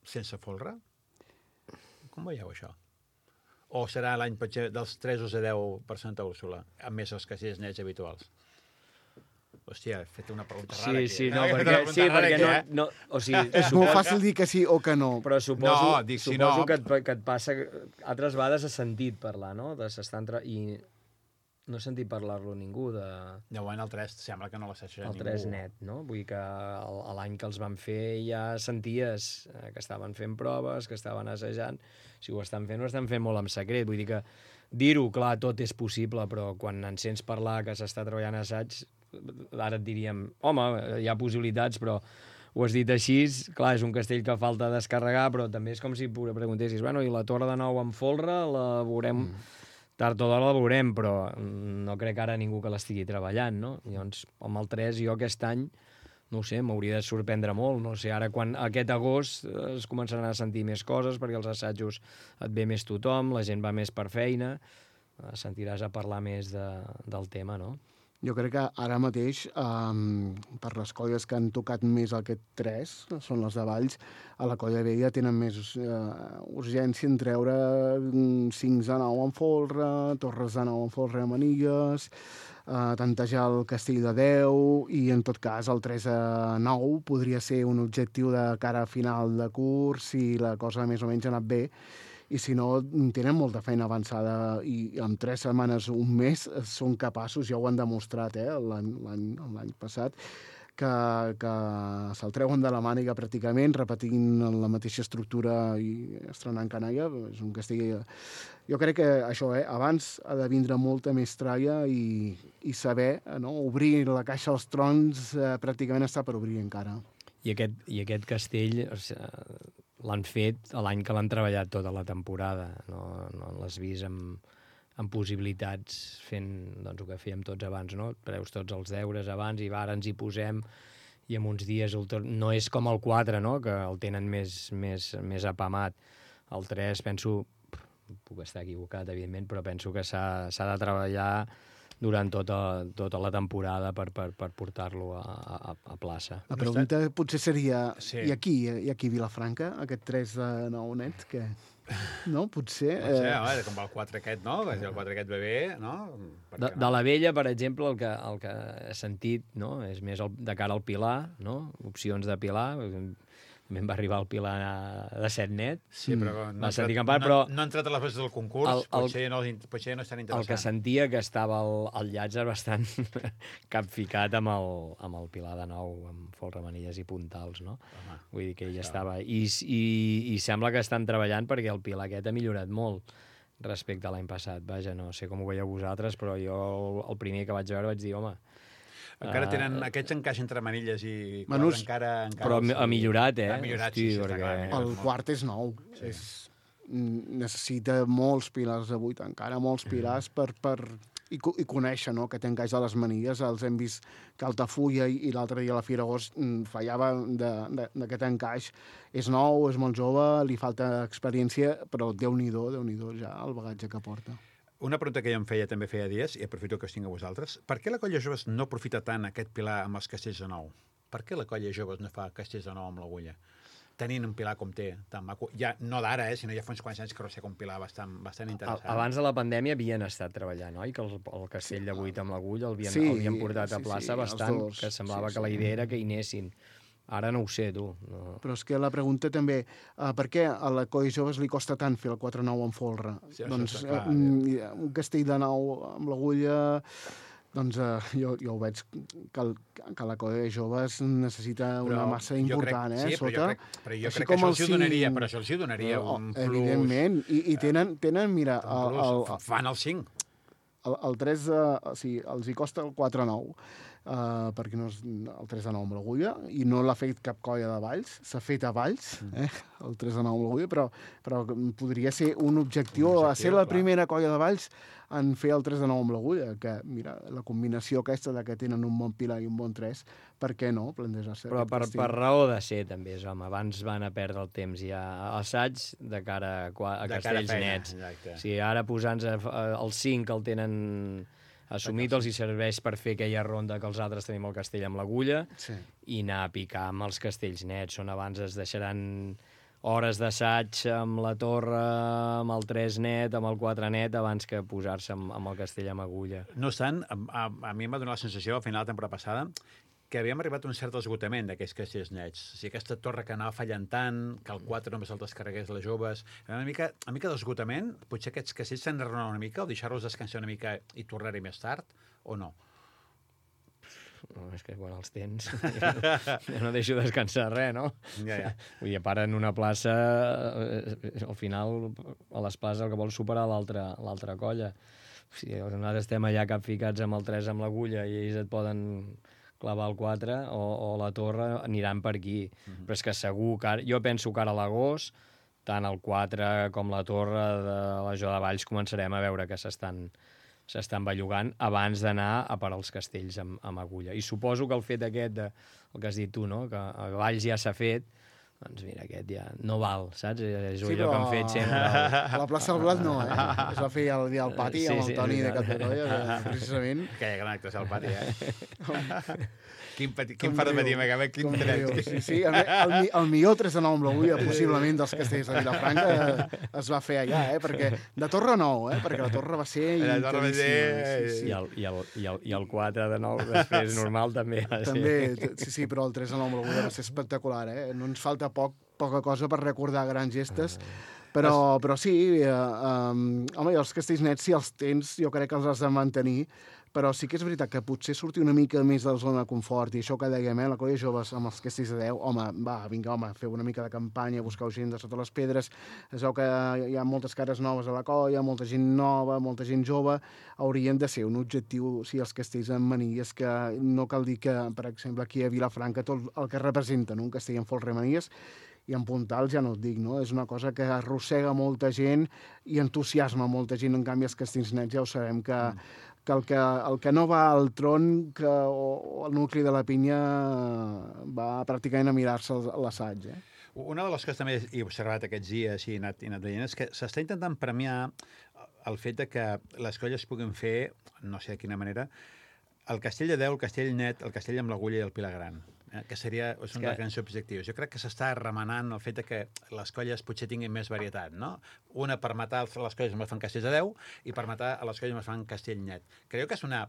Sense folre? Com veieu això? O serà l'any dels 3 de 10 per Santa Úrsula, amb més els castells nets habituals? Hòstia, he fet una pregunta rara aquí. Perquè no... O sigui, és molt fàcil dir que sí o que no. Però suposo que et passa... Altres vegades has sentit parlar, no? I no he sentit parlar-lo ningú de... Llavors el 3 sembla que no l'assaixa ningú. El 3 net, no? Vull dir que l'any que els van fer ja senties que estaven fent proves, que estaven assajant. Si ho estan fent molt en secret. Vull dir que dir-ho, clar, tot és possible, però quan en sents parlar que s'està treballant assaig, ara et diríem, home, hi ha possibilitats, però ho has dit així, clar, és un castell que falta descarregar, però també és com si preguntessis, bueno, i la torre de nou amb folre la veurem, tard o d'hora la veurem, però no crec ara ningú que l'estigui treballant, no? Llavors, amb el 3, jo aquest any, no ho sé, m'hauria de sorprendre molt, no sé, ara quan aquest agost es començaran a sentir més coses, perquè els assajos et ve més tothom, la gent va més per feina, sentiràs a parlar més del tema, no? Jo crec que ara mateix, per les colles que han tocat més aquest 3, són les de Valls, a la Colla Vella tenen més urgència en treure 5 de 9 en folre, torres de 9 en folre a manilles, tantejar el Castell de 10 i, en tot cas, el 3-9 podria ser un objectiu de cara a final de curs si la cosa més o menys ha anat bé. I si no, tenen molta feina avançada i en 3 setmanes, un mes, són capaços, ja ho han demostrat l'any passat, que se'l treuen de la màniga pràcticament, repetint la mateixa estructura i estrenant canalla. És un castell... Jo crec que això, abans ha de vindre molta més tralla i saber, no? Obrir la caixa als trons pràcticament està per obrir encara. I aquest castell l'han fet l'any que l'han treballat tota la temporada. No l'has vist amb possibilitats fent doncs, el que fèiem tots abans, no? Preus tots els deures abans i ara ens hi posem i en uns dies no és com el 4, no? Que el tenen més apamat. El 3 penso, puc estar equivocat evidentment, però penso que s'ha de treballar durant tota la temporada per portar-lo a plaça. La pregunta potser seria, sí. I aquí a Vilafranca, aquest 3-9 net, que... No, potser... Home, com el 4 aquest, no? Si el 4 aquest ve bé, no? De la Vella, per exemple, el que he sentit, no? És més de cara al Pilar, no? Opcions de Pilar. També em va arribar el Pilar de 7 net. Sí, però no ha entrat a les bases del concurs, potser no estan interessant. El que sentia que estava el Llàtzer bastant capficat amb el Pilar de nou, amb folremanilles i puntals, no? Home, vull dir que ell estava... I sembla que estan treballant perquè el Pilar aquest ha millorat molt respecte a l'any passat. Vaja, no sé com ho veieu vosaltres, però jo el primer que vaig veure vaig dir, home... Encara tenen aquests encaix entre manilles i quadre, encara... Però ha millorat, Ha millorat, sí, està clar. El quart és nou. Sí. Necessita molts pilars de 8, encara molts pilars i conèixer, no?, que té encaix a les manilles. Els hem vist que Altafulla i l'altre dia a la Fira Agost fallava d'aquest encaix. És nou, és molt jove, li falta experiència, però Déu-n'hi-do ja el bagatge que porta. Una pregunta que jo em feia també feia dies, i aprofito que us tinc a vosaltres. Per què la Colla Joves no aprofita tant aquest pilar amb els castells de nou? Per què la Colla Joves no fa castells de nou amb l'Agulla? Tenint un pilar com té, tan maco. Ja, no d'ara, sinó ja fa uns quants anys que arrossega un pilar bastant interessant. Abans de la pandèmia havien estat treballant, oi? Que el castell de 8 amb l'Agulla l'havien portat a plaça bastant, que semblava que la idea era que hi anessin. Ara no ho sé, tu. No. Però és que la pregunta també, per què a la Colla Joves li costa tant fer el 4-9 amb folre? Sí, doncs un castell de 9 amb l'Agulla, doncs jo ho veig que la Colla Joves necessita una massa important, sí, sota. Però jo crec que això els hi donaria un plus. Evidentment, i tenen, mira... Fan el 5. El 3, els hi costa el 4-9. Perquè no és el 3-9 amb l'Agulla, i no l'ha fet cap colla de Valls, s'ha fet a Valls, el 3-9 amb l'Agulla, però podria ser un objectiu a ser la primera colla de Valls en fer el 3-9 amb l'Agulla, que, mira, la combinació aquesta de que tenen un bon pilar i un bon 3, per què no plantejar-se? Però per raó de ser, també, home, abans van a perdre el temps ja a assaig de cara a castells nets. O sigui, ara posant-se el 5 el tenen assumit, els hi serveix per fer aquella ronda que els altres tenim el castell amb l'Agulla i anar a picar amb els castells nets, on abans es deixaran hores d'assaig amb la torre, amb el 3 net, amb el 4 net, abans que posar-se amb el castell amb Agulla. No obstant, a mi em va donar la sensació, al final de la temporada passada, que havíem arribat a un cert esgotament d'aquests castells nets. O sigui, aquesta torre que anava fallant tant, que el 4 només el descarregués les joves... Una mica d'esgotament, potser aquests castells s'han de renovar una mica o deixar-los descansar una mica i tornar-hi més tard, o no? No, és que quan els tens jo no deixo descansar res, no? Ja. Vull dir, a part, en una plaça, al final, a les places el que vol superar l'altra colla. O sigui, nosaltres estem allà capficats amb el 3 amb l'Agulla i ells et poden clavar el 4 o la torre, aniran per aquí. Però és que segur que jo penso que ara a l'agost, tant el 4 com la torre de la Jo de Valls començarem a veure que s'estan bellugant abans d'anar a parar els castells amb Agulla. I suposo que el fet aquest, el que has dit tu, no? Que a Valls ja s'ha fet, doncs mira, aquest ja no val, saps? És Sí, allò que han fet sempre. A la plaça del Blat no, Es va fer el dia al pati amb el Toni de Capdetoia, precisament. Aquella gran actuació al pati, Quin far de patir, quin tret. Sí, el millor 3 de 9 amb l'Agulla, possiblement, dels castells de Vilafranca, es va fer allà, perquè de Torre 9, perquè la Torre va ser intensíssima. I el 4 de 9 després normal també va ser. També, sí, però el 3 de 9 amb l'Agulla va ser espectacular, No ens falta poca cosa per recordar grans gestes, però sí, home, els castells nets, si els tens, jo crec que els has de mantenir, però sí que és veritat que potser sortir una mica més de la zona de confort, i això que dèiem, la colla de joves amb els castells de 10, home, vinga, feu una mica de campanya, busqueu gent de sota les pedres, es veu que hi ha moltes cares noves a la colla, molta gent nova, molta gent jove, haurien de ser un objectiu, si els castells amb manilles, que no cal dir que, per exemple, aquí a Vilafranca, tot el que representen un castell amb folre-manilles, i en puntals ja no et dic, És una cosa que arrossega molta gent i entusiasma molta gent. En canvi, els castells nets ja ho sabem que el que no va al tron o al nucli de la pinya va pràcticament a mirar-se l'assaig. Una de les coses també he observat aquests dies i he anat veient és que s'està intentant premiar el fet de que les colles puguin fer, no sé de quina manera, el castell de 10, el castell net, el castell amb l'Agulla i el Pilar Gran, que és un dels grans objectius. Jo crec que s'està remenant el fet que les colles potser tinguin més varietat, no? Una per matar les colles que fan castells de 10 i per matar a les colles que fan castell net. Creu que és una...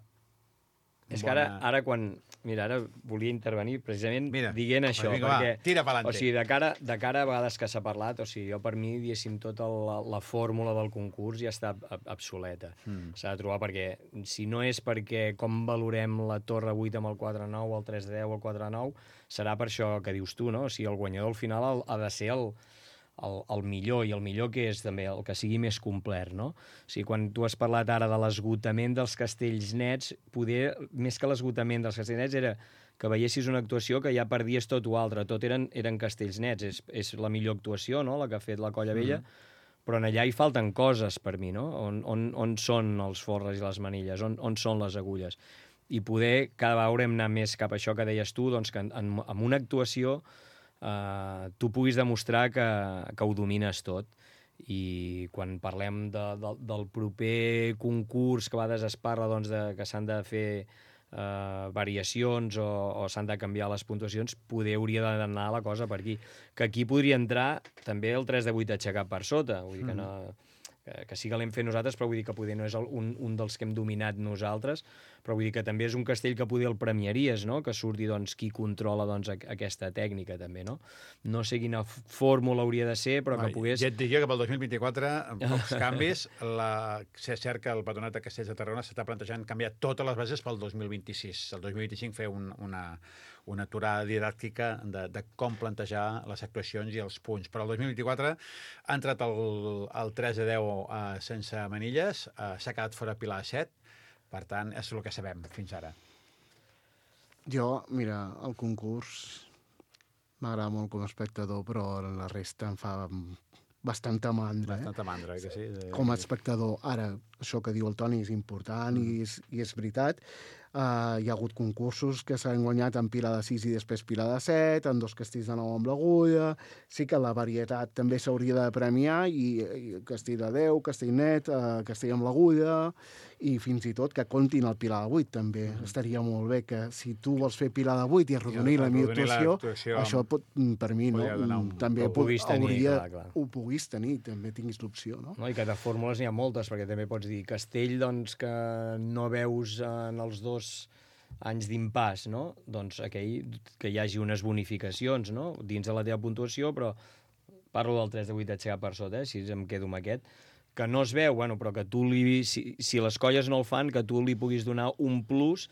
És que ara quan... Mira, ara volia intervenir precisament dient això. Vinga, tira pa'lante. O sigui, de cara a vegades que s'ha parlat, o sigui, jo per mi, diguéssim, tota la fórmula del concurs ja està obsoleta. S'ha de trobar perquè, si no és perquè com valorem la Torre 8 amb el 4-9, el 3-10 o el 4-9, serà per això que dius tu, no? O sigui, el guanyador al final ha de ser el millor, i el millor que és també el que sigui més complet, no? O sigui, quan tu has parlat ara de l'esgotament dels castells nets, poder, més que l'esgotament dels castells nets, era que veiessis una actuació que ja perdies tot o altre, tot eren castells nets, és la millor actuació, no?, la que ha fet la Colla Vella, però en allà hi falten coses per mi, no? On són els forres i les manilles, on són les agulles? I poder cada vegada haurem anat més cap a això que deies tu, doncs que en una actuació tu puguis demostrar que ho domines tot. I quan parlem del proper concurs que a vegades es parla que s'han de fer variacions o s'han de canviar les puntuacions, poder hauria d'anar la cosa per aquí. Que aquí podria entrar també el 3 de 8 aixecat per sota, vull dir que no... que sí que l'hem fet nosaltres, però vull dir que poder no és un dels que hem dominat nosaltres, però vull dir que també és un castell que poder el premiaries, no?, que surti qui controla aquesta tècnica també, no? No sé quina fórmula hauria de ser, però que pogués... Ja et diria que pel 2024, amb pocs canvis, és cert que el Patronat de Castells de Tarragona s'està plantejant canviar totes les bases pel 2026. El 2025 fer una aturada didàctica de com plantejar les actuacions i els punts. Però el 2024 ha entrat el 3 de 10 sense manilles, s'ha quedat fora Pilar 7, per tant, és el que sabem fins ara. Jo, mira, el concurs m'agrada molt com a espectador, però la resta em fa bastanta mandra. Bastanta mandra, que sí. Com a espectador. Ara, això que diu el Toni és important i és veritat. Hi ha hagut concursos que s'han guanyat en Pilar de 6 i després Pilar de 7, en 2 castells de 9 amb l'Agulla. Sí que la varietat també s'hauria de premiar, i castell de 10, castell net, castell amb l'Agulla, i fins i tot que comptin el Pilar de 8 també. Estaria molt bé que si tu vols fer Pilar de 8 i arrodonir la millor actuació, això per mi també ho puguis tenir, també tinguis l'opció, no? I que de fórmules n'hi ha moltes, perquè també pots dir castell que no veus en els 2 anys d'impàs, no? Doncs aquell que hi hagi unes bonificacions, no?, dins de la teva puntuació, però parlo del 3 de 8 aixecat per sota, si em quedo amb aquest, que no es veu, però que tu si les colles no el fan, que tu li puguis donar un plus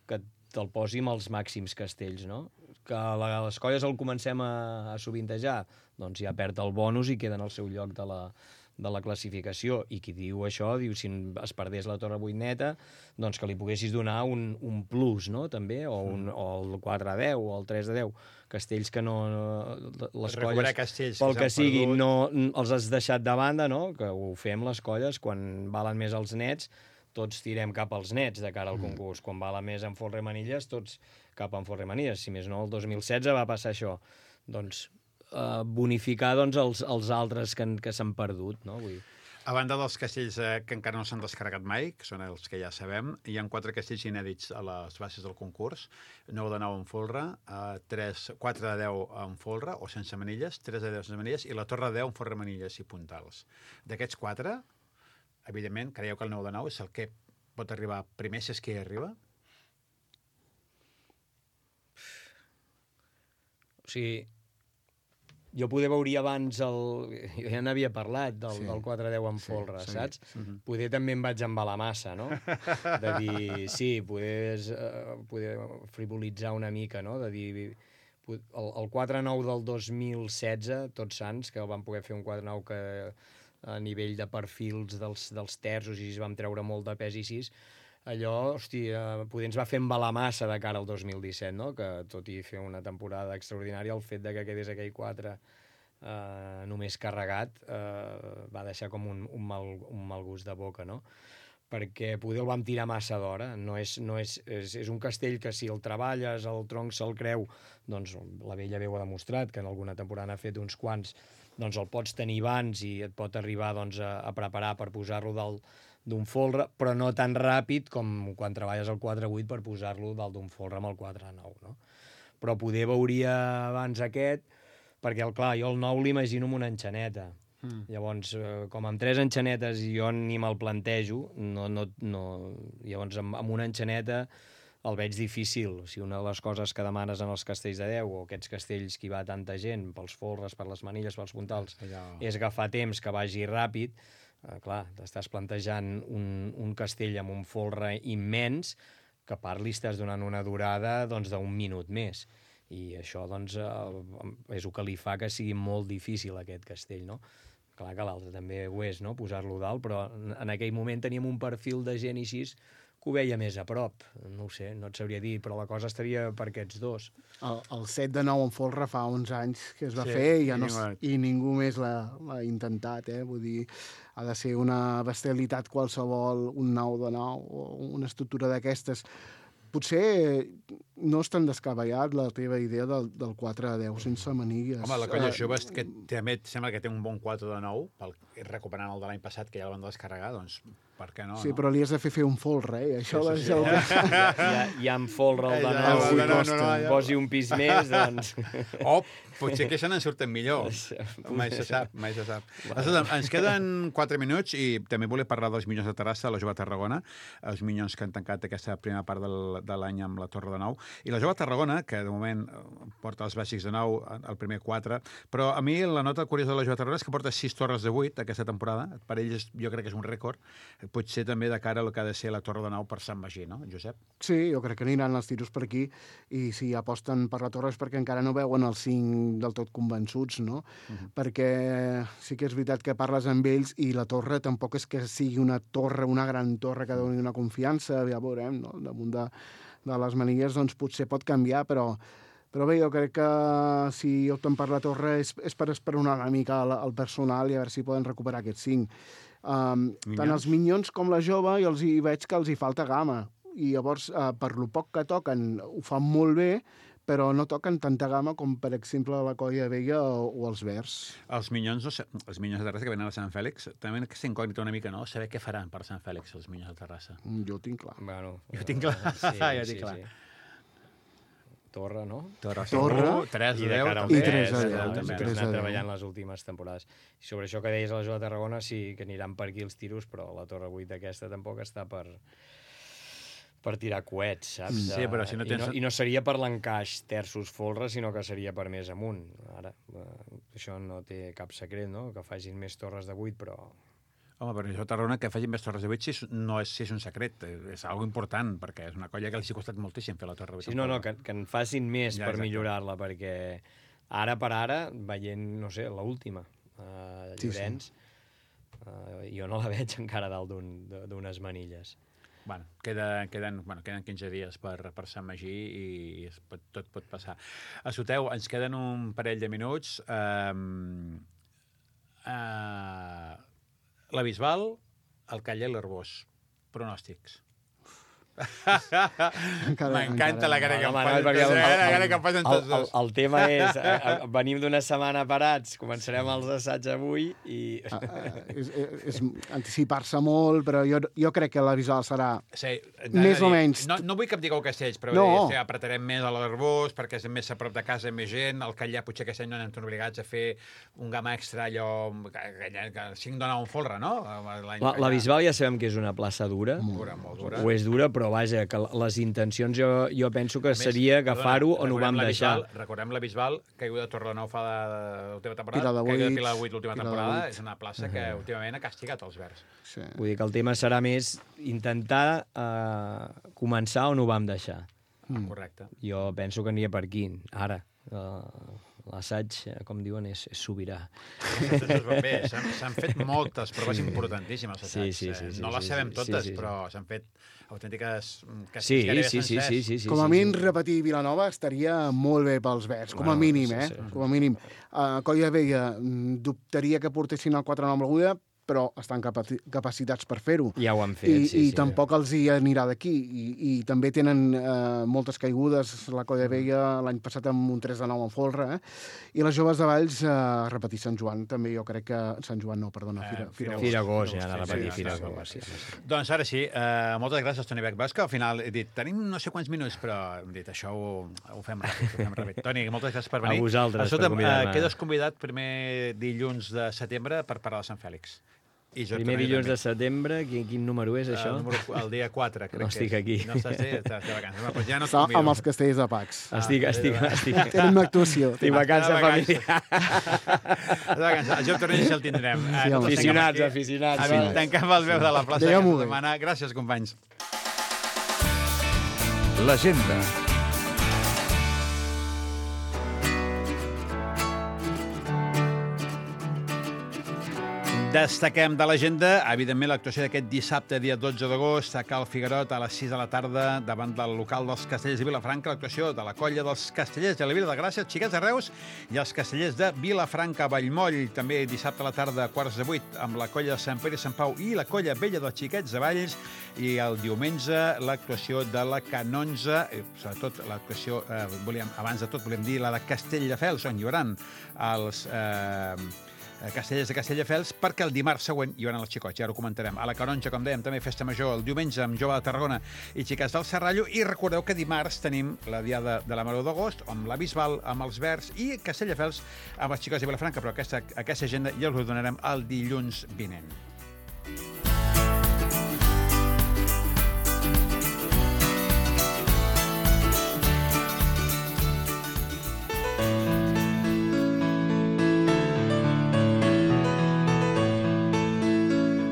que te'l posi amb els màxims castells, no? Que les colles el comencem a sovintejar, doncs ja perd el bonus i queda en el seu lloc de la classificació. I qui diu això, diu, si es perdés la Torre 8 neta, doncs que li poguessis donar un plus, no?, també, o el 4 a 10, o el 3 a 10, castells que no... Les colles, pel que sigui, no els has deixat de banda, no?, que ho fem les colles, quan valen més els nets, tots tirem cap als nets de cara al concurs. Quan vala més en folre manilles, tots cap en folre manilles. Si més no, el 2016 va passar això. Doncs bonificar doncs, els altres que s'han perdut, no? Vull dir, A banda dels castells que encara no s'han descarregat mai, que són els que ja sabem, hi ha 4 castells inèdits a les bases del concurs, 9 de 9 en folre, 4 de 10 en folre o sense manilles, 3 de 10 sense manilles i la torre de 10 en folre, manilles i puntals. D'aquests 4, evidentment, creieu que el 9 de 9 és el que pot arribar primer, si és que hi arriba? o sigui, jo poder veuria abans jo ja n'havia parlat del 4-10 en folre, saps? Poder també em vaig embalar massa, no? De dir, sí, poder frivolitzar una mica, no? De dir, el 4-9 del 2016, Tots Sants, que el vam poder fer un 4-9 que a nivell de perfils dels terços i vam treure molt de pes i sis, allò, hòstia, poder ens va fer embalar massa de cara al 2017, no? Que tot i fer una temporada extraordinària, el fet de que quedés aquell 4 només carregat va deixar com un mal gust de boca, no? Perquè poder el vam tirar massa d'hora. És un castell que si el treballes, el tronc se'l creu, doncs la Vella Veu ha demostrat que en alguna temporada n'ha fet uns quants, doncs el pots tenir abans i et pot arribar doncs, a preparar per posar-lo d'un folre, però no tan ràpid com quan treballes el 4-8 per posar-lo dalt d'un folre amb el 4-9, no? Però poder veuria abans aquest, perquè, clar, jo el 9 l'imagino amb una enxaneta. Llavors, com amb 3 enxanetes jo ni me'l plantejo, llavors amb una enxaneta el veig difícil. Si una de les coses que demanes en els castells de 10 o aquests castells que hi va tanta gent, pels folres, per les manilles, pels puntals, és agafar temps que vagi ràpid, clar, t'estàs plantejant un castell amb un folre immens que a part li estàs donant una durada doncs, d'un minut més. I això doncs, és el que li fa que sigui molt difícil aquest castell, no? Clar que l'altre també ho és, no? Posar-lo dalt, però en aquell moment teníem un perfil de gent així que ho veia més a prop. No ho sé, no et sabria dir, però la cosa estaria per aquests dos. El 7 de 9 en folre fa uns anys que es va fer i ningú més l'ha intentat, Vull dir, ha de ser una bestialitat qualsevol, un 9 de 9 o una estructura d'aquestes. Potser no és tan descabellat la teva idea del 4 de 10 sense manilles. Home, la colla jove que també sembla que té un bon 4 de 9, recuperant el de l'any passat, que ja el van descarregar, doncs per què no? Sí, però li has de fer un folre, Això sí. Ja en folre el de 9, posi un pis més, doncs... O potser que se n'en surten millor. Mai se sap. Ens queden 4 minuts i també volia parlar dels Minyons de Terrassa, la Jove Tarragona, els Minyons que han tancat aquesta primera part de l'any amb la Torre de 9. I la Jove Tarragona, que de moment porta els bàsics de 9, el primer 4, però a mi la nota curiosa de la Jove Tarragona és que porta 6 torres de 8 aquesta temporada. Per ells jo crec que és un rècord. Potser també de cara al que ha de ser la Torre de 9 per Sant Magí, no, Josep? Sí, jo crec que aniran els tiros per aquí i si aposten per la torre és perquè encara no veuen els 5 del tot convençuts, no? Perquè sí que és veritat que parles amb ells i la torre tampoc és que sigui una torre, una gran torre que doni una confiança, ja veurem, no? Damunt de les manilles doncs potser pot canviar, però bé, jo crec que si opten per la torre és per esperonar una mica el personal i a veure si poden recuperar aquests 5. Tant els Minyons com la Jove jo hi veig que els hi falta gamma i llavors per lo poc que toquen ho fan molt bé, però no toquen tanta gamma com per exemple la Colla Vella o els Verds. Els Minyons de Terrassa que venen a Sant Fèlix també que s'incògnita una mica, no? Saber què faran per Sant Fèlix els Minyons de Terrassa. Jo ho tinc clar. Bueno, jo tinc clar. Sí. Torre, no? Torre. 3 de 10. I 3 de 10. També han anat treballant les últimes temporades. I sobre això que deies a la Jove Tarragona, sí que aniran per aquí els tiros, però la Torre 8 aquesta tampoc està per tirar coets, saps? Sí, però si no tens... I no seria per l'encaix terços folres, sinó que seria per més amunt. Ara, això no té cap secret, no? Que facin més torres de 8, però... Home, però això Tarragona, que facin més torres de 8 no és un secret, és algo important, perquè és una colla que els ha costat moltíssim fer la torre 8. Sí, no, que en facin més per millorar-la, perquè ara per ara, veient, no sé, l'última, Llorenç, jo no la veig encara dalt d'unes manilles. Bueno, queden 15 dies per Sant Magí i tot pot passar. Escolteu, ens queden un parell de minuts. La Bisbal, el Calla i l'Arbós. Pronòstics. M'encanta la cara que em Manel, posen perquè tots. La cara que em posen tots dos. el tema és, venim d'una setmana parats, començarem els assaigs avui i... És anticipar-se molt, però jo crec que la visual serà Sí, més o menys... No vull que em digueu Castells, però No. apretarem més a l'Arbós, perquè és més a prop de casa, més gent. Al Catllà potser aquest any no anem obligats a fer un gamma extra, allò... que 5 dona un folre, no? La Bisbal ja sabem que és una plaça dura, Molt dura. o és dura, però vaja, que les intencions jo penso que seria agafar-ho on ho vam deixar. Recordem la Bisbal, caiguda de Torrenou fa l'última temporada, Pilar de caiguda de Buits, Pilar de Buits l'última Pilar de temporada, Buits. és una plaça que últimament ha castigat els verds. Sí. Vull dir que el tema serà més intentar començar on ho vam deixar. Correcte. Jo penso que aniria per aquí, ara. L'assaig, com diuen, és sobirà. Bé, s'han fet moltes proves importantíssimes. Sí. No les sabem totes, però s'han fet autèntiques Sí. Com a mínim, repetir Vilanova estaria molt bé pels verds, com a mínim, eh? Com a mínim. Colla Vella dubtaria que portessin el 4-9 amb l'aguda, però estan capacitats per fer-ho. Ja ho han fet, I tampoc els hi anirà d'aquí. I també tenen moltes caigudes, la Colla Vella l'any passat amb un 3-9 en folre, i les joves de Valls repetir Sant Joan, també jo crec que... Sant Joan no, perdona, Firagós, ja, a repetir Firagós. Doncs ara sí, moltes gràcies, Toni Bec. Veus que al final he dit, tenim no sé quants minuts, però hem dit, això ho fem ràpid. Toni, moltes gràcies per venir. A vosaltres, per convidar-me. Quedes convidat primer dilluns de setembre per parlar de Sant Fèlix. Primer dilluns de setembre, quin número és, això? El dia 4, crec que és. No estic aquí. No estàs de vacances. Doncs ja no et Està convido. amb els castells de Pacs. Estic... Tenen una actuació. Estic vacança familiar. El Joc Torrent el tindrem. Aficionats. Tancam el veu de la plaça Digue'm-ho aquesta bé. setmana. Gràcies, companys. L'agenda. Destaquem de l'agenda, evidentment, l'actuació d'aquest dissabte, dia 12 d'agost, a Cal Figuerot, a les 6 de la tarda, davant del local dels Castellers de Vilafranca, l'actuació de la colla dels Castellers de la Vila de Gràcia, Xiquets de Reus, i els Castellers de Vilafranca, Vallmoll, també dissabte a la tarda, a quarts de 8, amb la colla de Sant Pere i Sant Pau i la colla vella dels Xiquets de Valls, i el diumenge l'actuació de la Canonja, sobretot l'actuació, abans de tot volem dir la de Castelldefels, on hi haurà els... Castellers de Castelldefels, perquè el dimarts següent hi haurà els xicots, ja ho comentarem. A la Canonja, com dèiem, també festa major el diumenge amb Jove de Tarragona i Xiques del Serrallo, i recordeu que dimarts tenim la diada de la Maró d'Agost, amb la Bisbal, amb els Verds, i Castelldefels amb els xicots de Vilafranca, però aquesta agenda ja us ho donarem el dilluns vinent.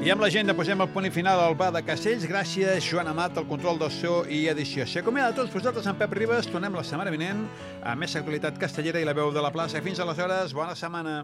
I amb l'agenda posem el punt i final al bar de Castells. Gràcies, Joan Amat, al control del so i edició. S'acomiada a tots vosaltres amb Pep Ribas. Tornem la setmana vinent amb més actualitat castellera i la veu de la plaça. Fins aleshores, bona setmana.